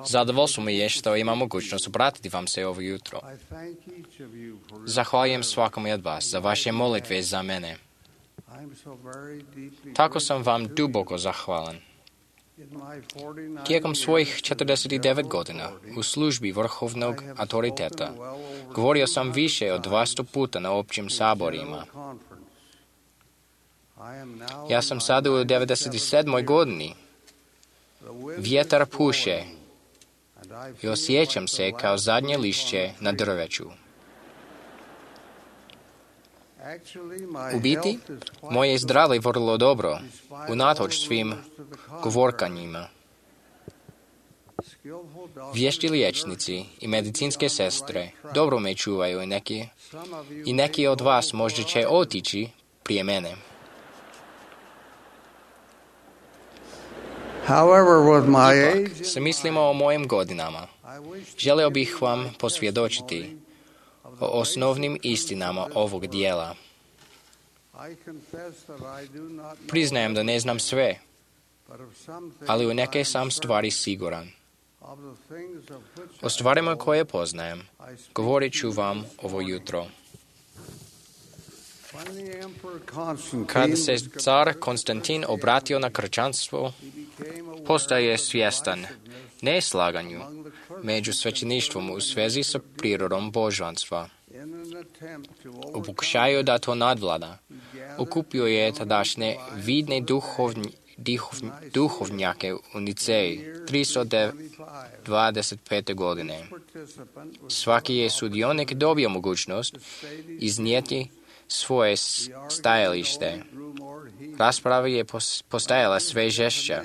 zadovoljstvo mi je što imam mogućnost obratiti vam se ovo jutro. Zahvaljujem svakome od vas za vaše molitve za mene. Tako sam vam duboko zahvalan. Tijekom svojih 49 godina u službi vrhovnog autoriteta govorio sam više od 200 puta na općim saborima. Ja sam sada u 97. godini. Vjetar puše i osjećam se kao zadnje lišće na drveću. U biti, moje zdravlje je vrlo dobro, unatoč svim govorkanjima. Vješti liječnici i medicinske sestre dobro me čuvaju i neki od vas možda će otići prije mene. Ipak, se mislimo o mojim godinama. Želio bih vam posvjedočiti o osnovnim istinama ovog dijela. Priznajem da ne znam sve, ali u neke sam stvari siguran. O stvarima koje poznajem, govorit ću vam ovo jutro. Kada se car Konstantin obratio na kršćanstvo, postaje svjestan neslaganju među svećeništvom u svezi sa prirodom božanstva. U pokušaju da to nadvlada, okupio je tadašnje vidne duhovnjake u Niceji 325. godine. Svaki je sudionik dobio mogućnost iznijeti svoje stajalište. Rasprava je postajala sve žešća.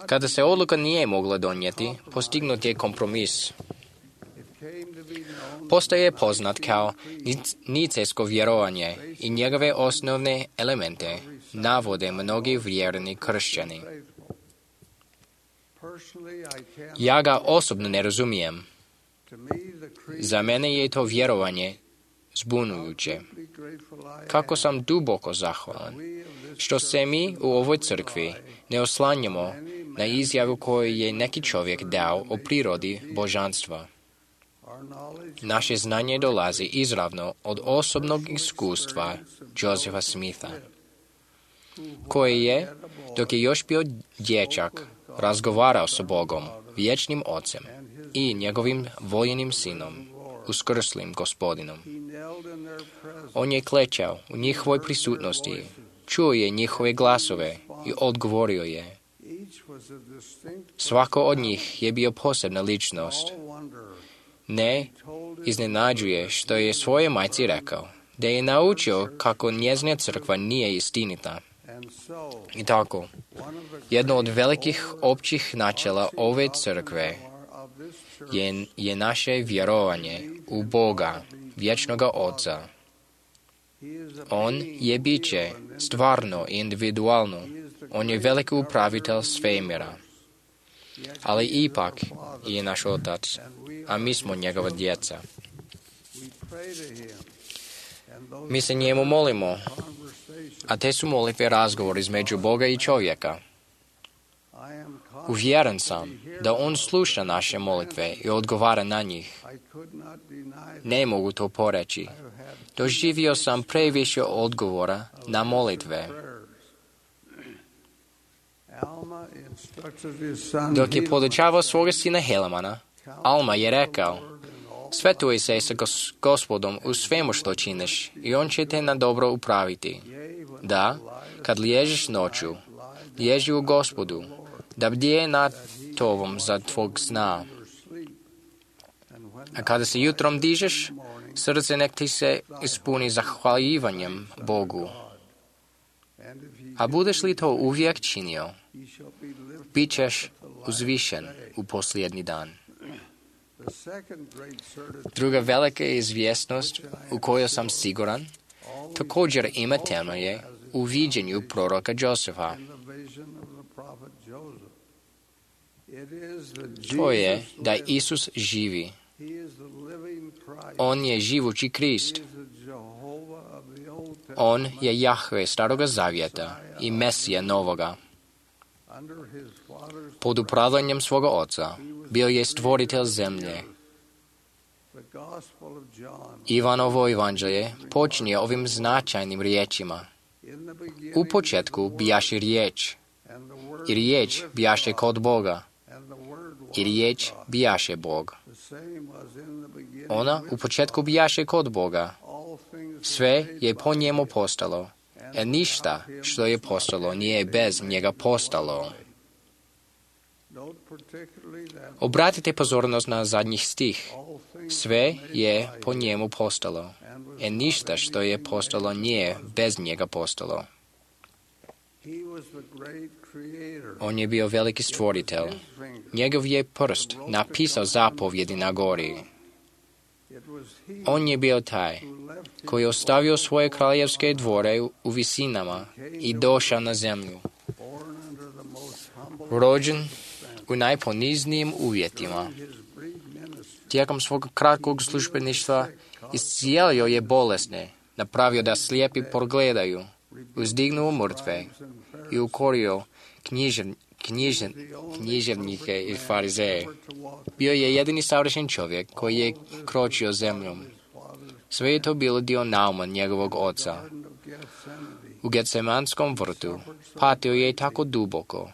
Kada se odluka nije mogla donijeti, postignut je kompromis. Postaje poznat kao nicejsko vjerovanje i njegove osnovne elemente navode mnogi vjerni kršćani. Ja ga osobno ne razumijem. Za mene je to vjerovanje zbunjujuće. Kako sam duboko zahvalan što se mi u ovoj crkvi ne oslanjamo na izjavu koju je neki čovjek dao o prirodi božanstva. Naše znanje dolazi izravno od osobnog iskustva Josepha Smitha, koji je, dok je još bio dječak, razgovarao sa Bogom, vječnim Ocem i njegovim voljenim sinom, uskrslim Gospodinom. On je klečao u njihovoj prisutnosti, čuo je njihove glasove i odgovorio je. Svako od njih je bio posebna ličnost. Ne iznenađuje što je svoje majci rekao, da je naučio kako njezina crkva nije istinita. I tako, jedno od velikih općih načela ove crkve je naše vjerovanje u Boga, vječnoga Oca. On je biće stvarno i individualno. On je veliki upravitelj svemira. Ali ipak je naš Otac, a mi smo njegova djeca. Mi se njemu molimo, a te su molitve razgovor između Boga i čovjeka. Uvjeren sam da on sluša naše molitve i odgovara na njih. Ne mogu to poreći. Doživio sam previše odgovora na molitve. Dok je podučavao svoga sina Helemana, Alma je rekao, svetuj se sa Gospodom u svemu što činiš i on će te na dobro upraviti. Da, kad liježiš noću, liježi u Gospodu, da bdije nad tobom za tvog sna. A kada se jutrom dižeš, srce nek ti se ispuni zahvaljivanjem Bogu. A budeš li to uvijek činio, bit ćeš uzvišen u posljednji dan. Druga velika izvjesnost u kojoj sam siguran također ima temelje u viđenju proroka Josefa. To je da Isus živi. On je živući Krist. On je Jahve staroga zavjeta i Mesija novoga. Pod upravljanjem svoga oca bio je stvoritelj zemlje. Ivanovo evanđelje počinje ovim značajnim riječima. U početku bijaše riječ, i riječ bijaše kod Boga, i riječ bijaše Bog. Ona u početku bijaše kod Boga. Sve je po njemu postalo, a ništa što je postalo nije bez njega postalo. Obratite pozornost na zadnjih stih. Sve je po njemu postalo, a ništa što je postalo nije bez njega postalo. On je bio veliki stvoritelj. Njegov je prst napisao zapovjedi na gori. On je bio taj koji je ostavio svoje kraljevske dvore u visinama i došao na zemlju. Rođen u najponiznijim uvjetima. Tijekom svog kratkog službeništva iscijelio je bolesne, napravio da slijepi progledaju, uzdignuo mrtve i ukorio književnike i farizeje. Bio je jedini savršen čovjek koji je kročio zemljom. Sve je to bilo dio nauma njegovog oca. U Getsemanskom vrtu patio je tako duboko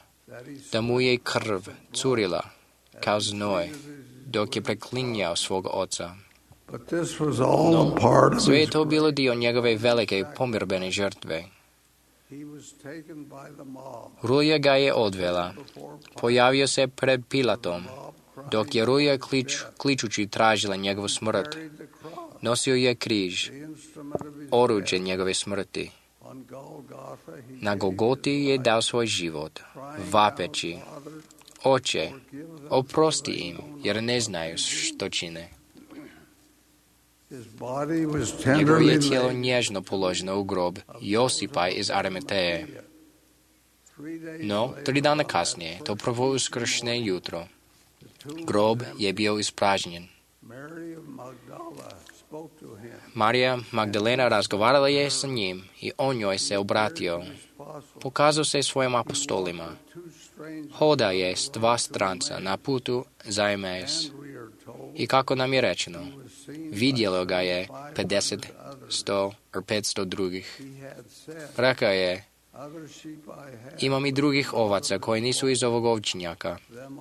da mu je krv curila kao znoj dok je preklinjao svog oca. No, sve je to bilo dio njegove velike pomirbene žrtve. Rulja ga je odvela. Pojavio se pred Pilatom, dok je Rulja kličući tražila njegovu smrt. Nosio je križ, oruđe njegove smrti. Na Golgoti je dao svoj život, vapeći: Oče, oprosti im, jer ne znaju što čine. Njegovo je tijelo nježno položeno u grob Josipa iz Arimateje. No, 3 dana kasnije, to prvo uskršnje jutro, grob je bio ispražnjen. Marija Magdalena razgovarala je sa njim i on njoj se obratio. Pokazao se svojim apostolima. Hoda je s 2 stranca na putu za Emaus. I kako nam je rečeno, vidjelo ga je 50, 100 ili 500 drugih. Rekao je: Imam i drugih ovaca koji nisu iz ovog ovčinjaka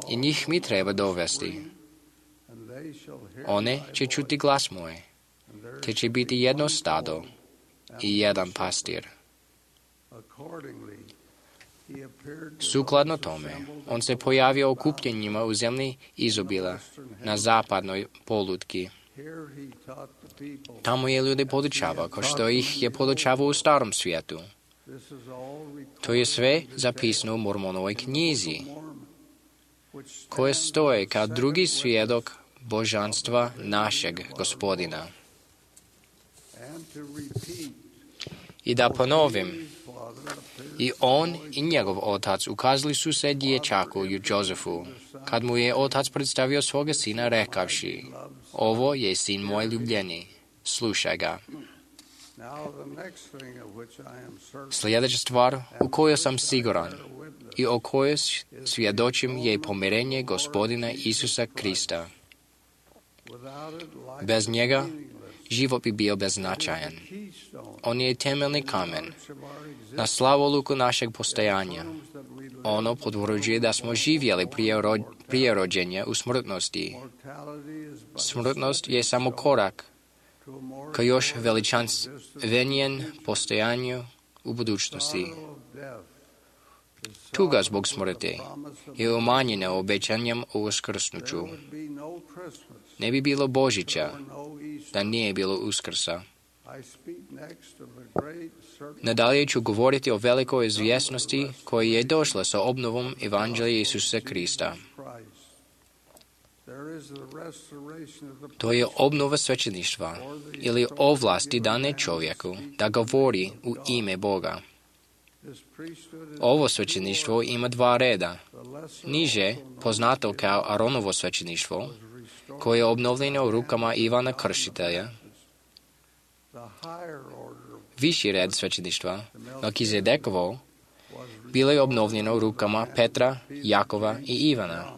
i njih mi treba dovesti. One će čuti glas moj, te će biti jedno stado i jedan pastir. Sukladno tome, on se pojavio okupljenjima u zemlji izobila na zapadnoj polutki. Tamo je ljude podučavao kao što ih je podučavao u starom svijetu. To je sve zapisano u Mormonovoj knjizi, koje stoje kao drugi svjedok božanstva našeg Gospodina. I da ponovim, i on i njegov otac ukazali su se dječaku Jozefu, kad mu je otac predstavio svoga sina rekavši: Ovo je sin moj ljubljeni, slušaj ga. Sljedeća stvar u kojoj sam siguran i o kojoj svjedočim je pomirenje Gospodina Isusa Krista. Bez njega život bi bio beznačajan. On je temeljni kamen na slavoluku našeg postojanja. Ono potvrđuje da smo živjeli prije rođenja u smrtnosti. Smrtnost je samo korak ka još veličanstvenijem postojanju u budućnosti. Tuga zbog smrti je umanjena obećanjem o uskrsnuću. Ne bi bilo Božića da nije bilo Uskrsa. Nadalje ću govoriti o velikoj izvjesnosti koja je došla sa obnovom Evanđelja Isusa Krista. To je obnova svećeništva ili ovlasti dane čovjeku da govori u ime Boga. Ovo svećeništvo ima 2 reda. Niže, poznato kao Aronovo svećeništvo, koje je obnovljeno u rukama Ivana Krstitelja, Viši red svećeništva, Melkizedekovo, bilo je obnovljeno rukama Petra, Jakova i Ivana.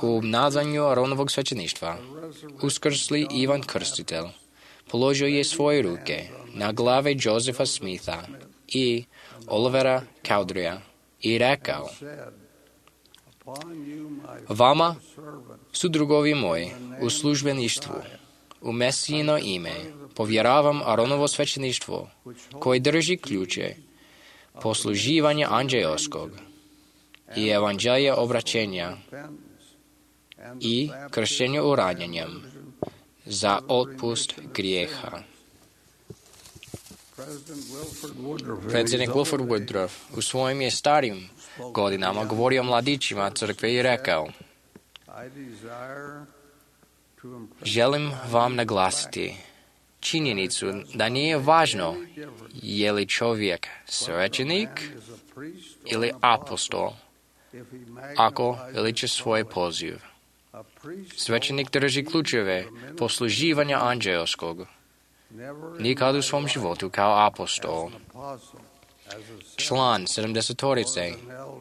U obnavljanju Aronovog svećeništva, uskrsli Ivan Krstitelj položio je svoje ruke na glave Josefa Smitha i Olivera Cowderyja i rekao: Vama su drugovi moji u službeništvu, u Mesijino ime, povjeravam Aronovo svećeništvo, koje drži ključe posluživanja anđeoskog i evanđelja obraćenja i krštenja uranjenjem za otpust grijeha. Predsjednik Wilford Woodruff u svojim je starim godinama govorio mladićima crkve i rekao: Želim vam naglasiti činjenicu da nije važno je li čovjek svećenik ili apostol ako veliča svoj poziv. Svećenik drži ključeve posluživanja anđeoskog, nikad u svom životu kao apostol, član 70-torice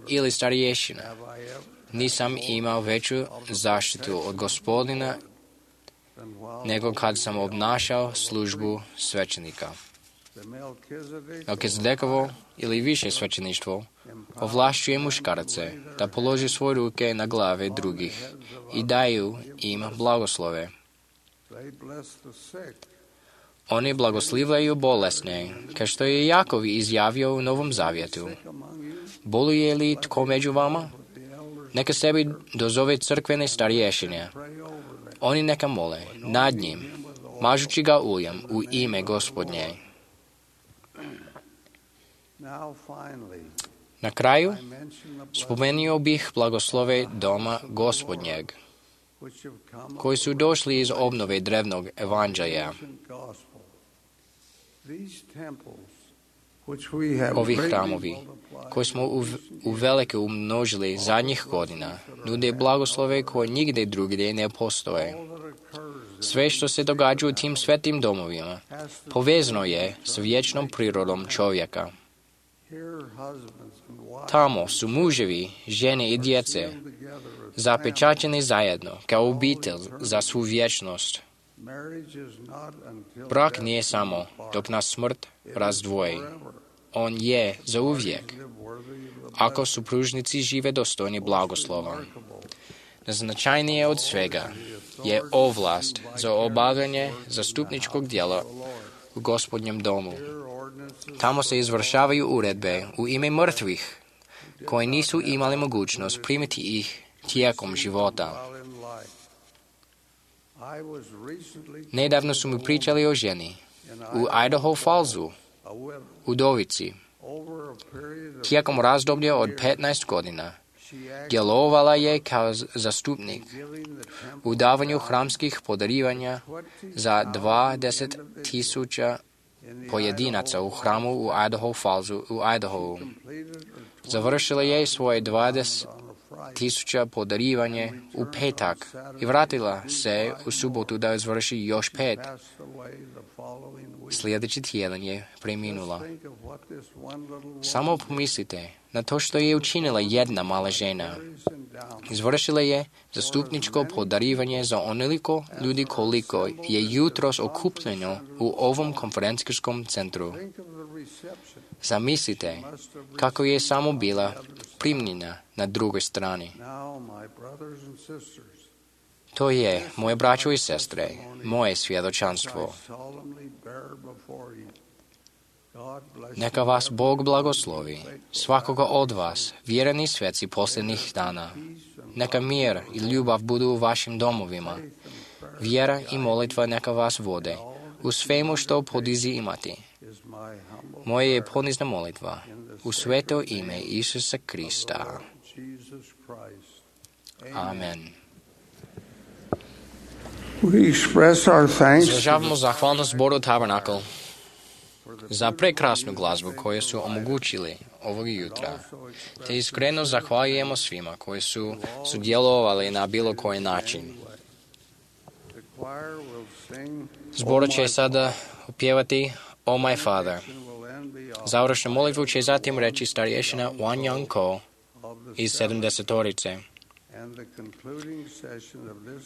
ili starješina. Nisam imao veću zaštitu od Gospodina nego kad sam obnašao službu svećenika. Melkizedekovo ili više svećeništvo ovlašćuje muškarce da položi svoje ruke na glave drugih i daju im blagoslove. Oni blagoslivljaju bolesne, kao što je Jakov izjavio u Novom Zavjetu. Boluje li tko među vama? Neka sebi dozove crkvene starješine. Oni neka mole nad njim, mažući ga uljem u ime Gospodnje. Na kraju spomenuo bih blagoslove doma Gospodnjeg, koji su došli iz obnove drevnog evanđelja. Ovi hramovi, koji smo uvelike umnožili zadnjih godina, nude blagoslove koje nigdje drugdje ne postoje. Sve što se događa u tim svetim domovima povezano je s vječnom prirodom čovjeka. Tamo su muževi, žene i djece zapečaćeni zajedno kao obitelj za svu vječnost. Brak nije samo dok nas smrt razdvoji. On je za uvijek, ako supružnici žive dostojni blagoslova. Najznačajnije od svega je ovlast za obavljanje zastupničkog djela u Gospodnjem domu. Tamo se izvršavaju uredbe u ime mrtvih, koji nisu imali mogućnost primiti ih tijekom života. Nedavno su mi pričali o ženi u Idaho Fallsu, udovici. Tijekom razdoblja od 15 godina djelovala je kao zastupnik u davanju hramskih podarivanja za 20,000 pojedinaca u hramu u Idaho Fallsu u Idahovu. Završila je svoje 20,000 podarivanje u petak i vratila se u subotu da izvrši još 5. Sljedeći tjedan je preminula. Samo pomislite na to što je učinila jedna mala žena. Izvršila je zastupničko podarivanje za onoliko ljudi koliko je jutros okupljeno u ovom konferencijskom centru. Zamislite kako je samo bila primljena na drugoj strani. To je, moje braćo i sestre, moje svjedočanstvo. Neka vas Bog blagoslovi, svakoga od vas, vjereni sveci posljednjih dana. Neka mir i ljubav budu u vašim domovima. Vjera i molitva neka vas vode u svemu što poduzimate. Moje je ponizna molitva u sveto ime Isusa Krista. Amen. Izražavamo zahvalnost Zboru Tabernakel za prekrasnu glazbu koju su omogućili ovog jutra, te iskreno zahvaljujemo svima koji su sudjelovali na bilo koji način. Zbor će sada upjevati O my Father. Završnu molitvu će zatim reći starješina Wan Young Ko iz 70-torice.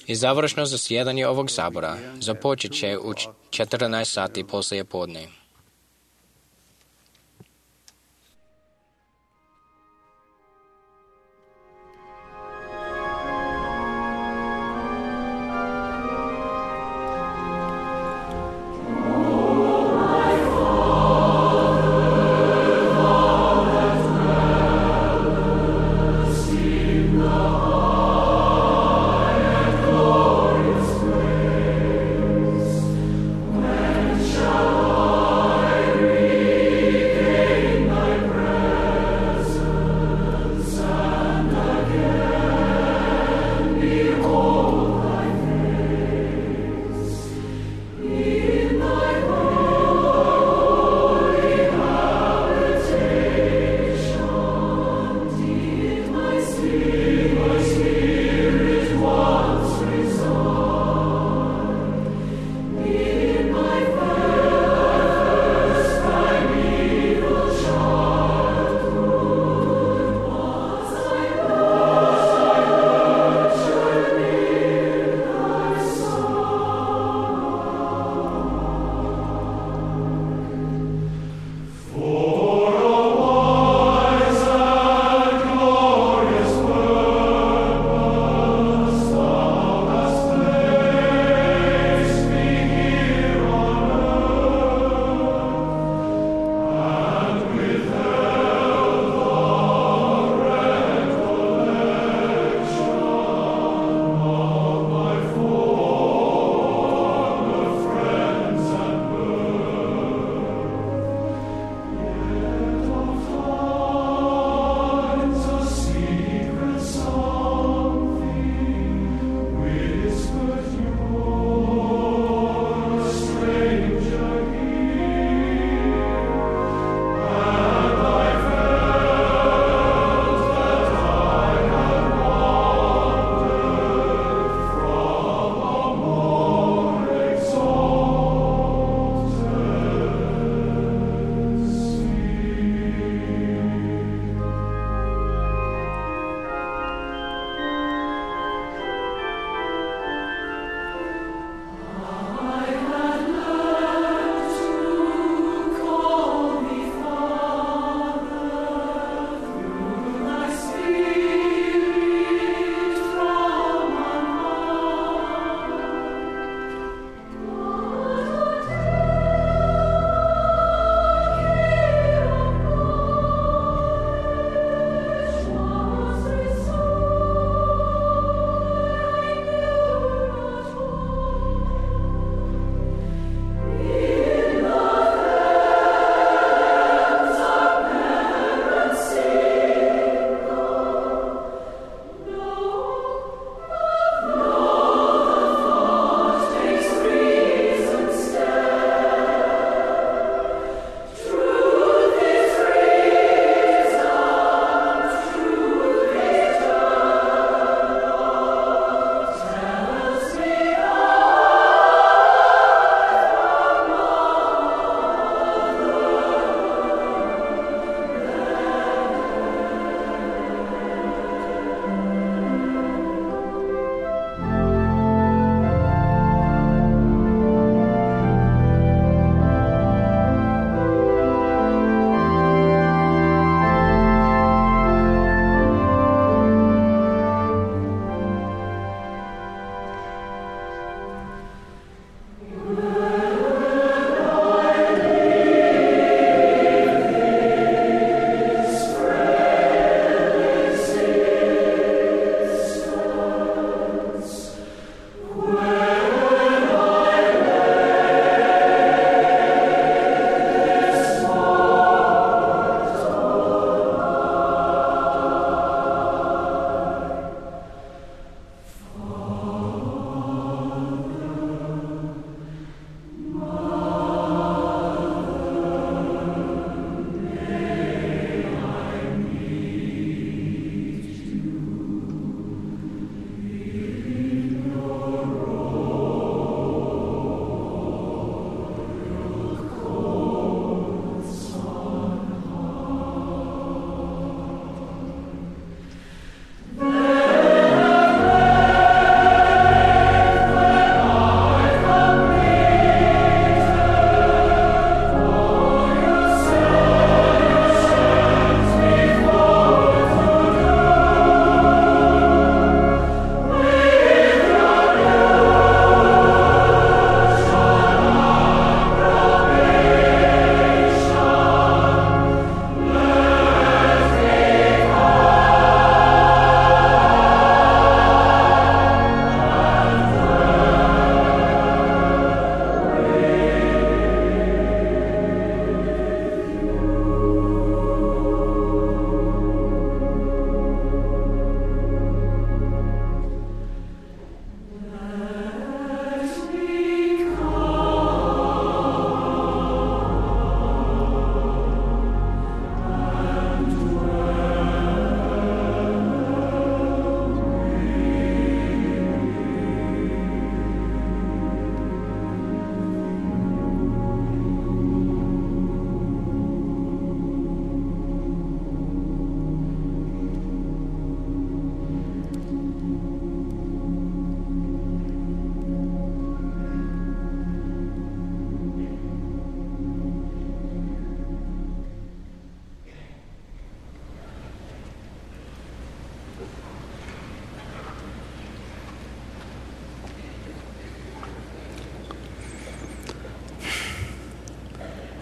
I završno zasjedanje ovog sabora započet će u 14 sati poslije podne. Shall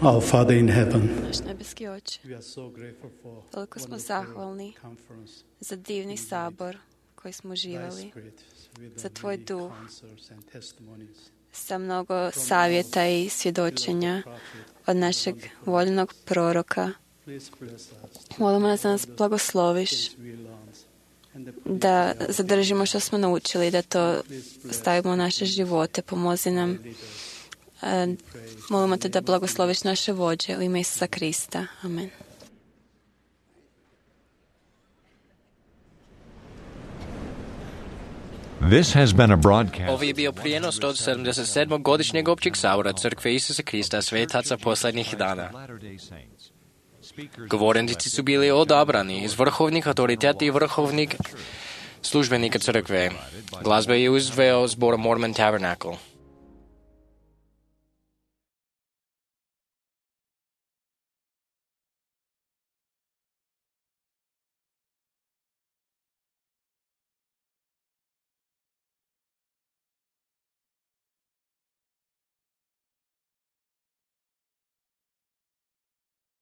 Our Father in heaven, Naš nebeski Oče, we are so grateful for toliko smo wonderful zahvalni conference za divni sabor koji smo uživali, za Tvoj duh, sa mnogo savjeta i svjedočenja od našeg voljenog proroka. Molimo nas da nas blagosloviš, da zadržimo što smo naučili, da to stavimo u naše živote. Pomozi nam. Molimo te da blagosloviš naše vođe u ime Isusa Krista. Amen. This has been a broadcast. Ovo je bio prijenos od 77. godišnjeg općeg sabora Crkve Isusa Krista Svetaca posljednjih dana. Govornici su bili odabrani iz vrhovnih autoriteta i vrhovnih službenika crkve. Glazba je izveo zbor Mormon Tabernacle.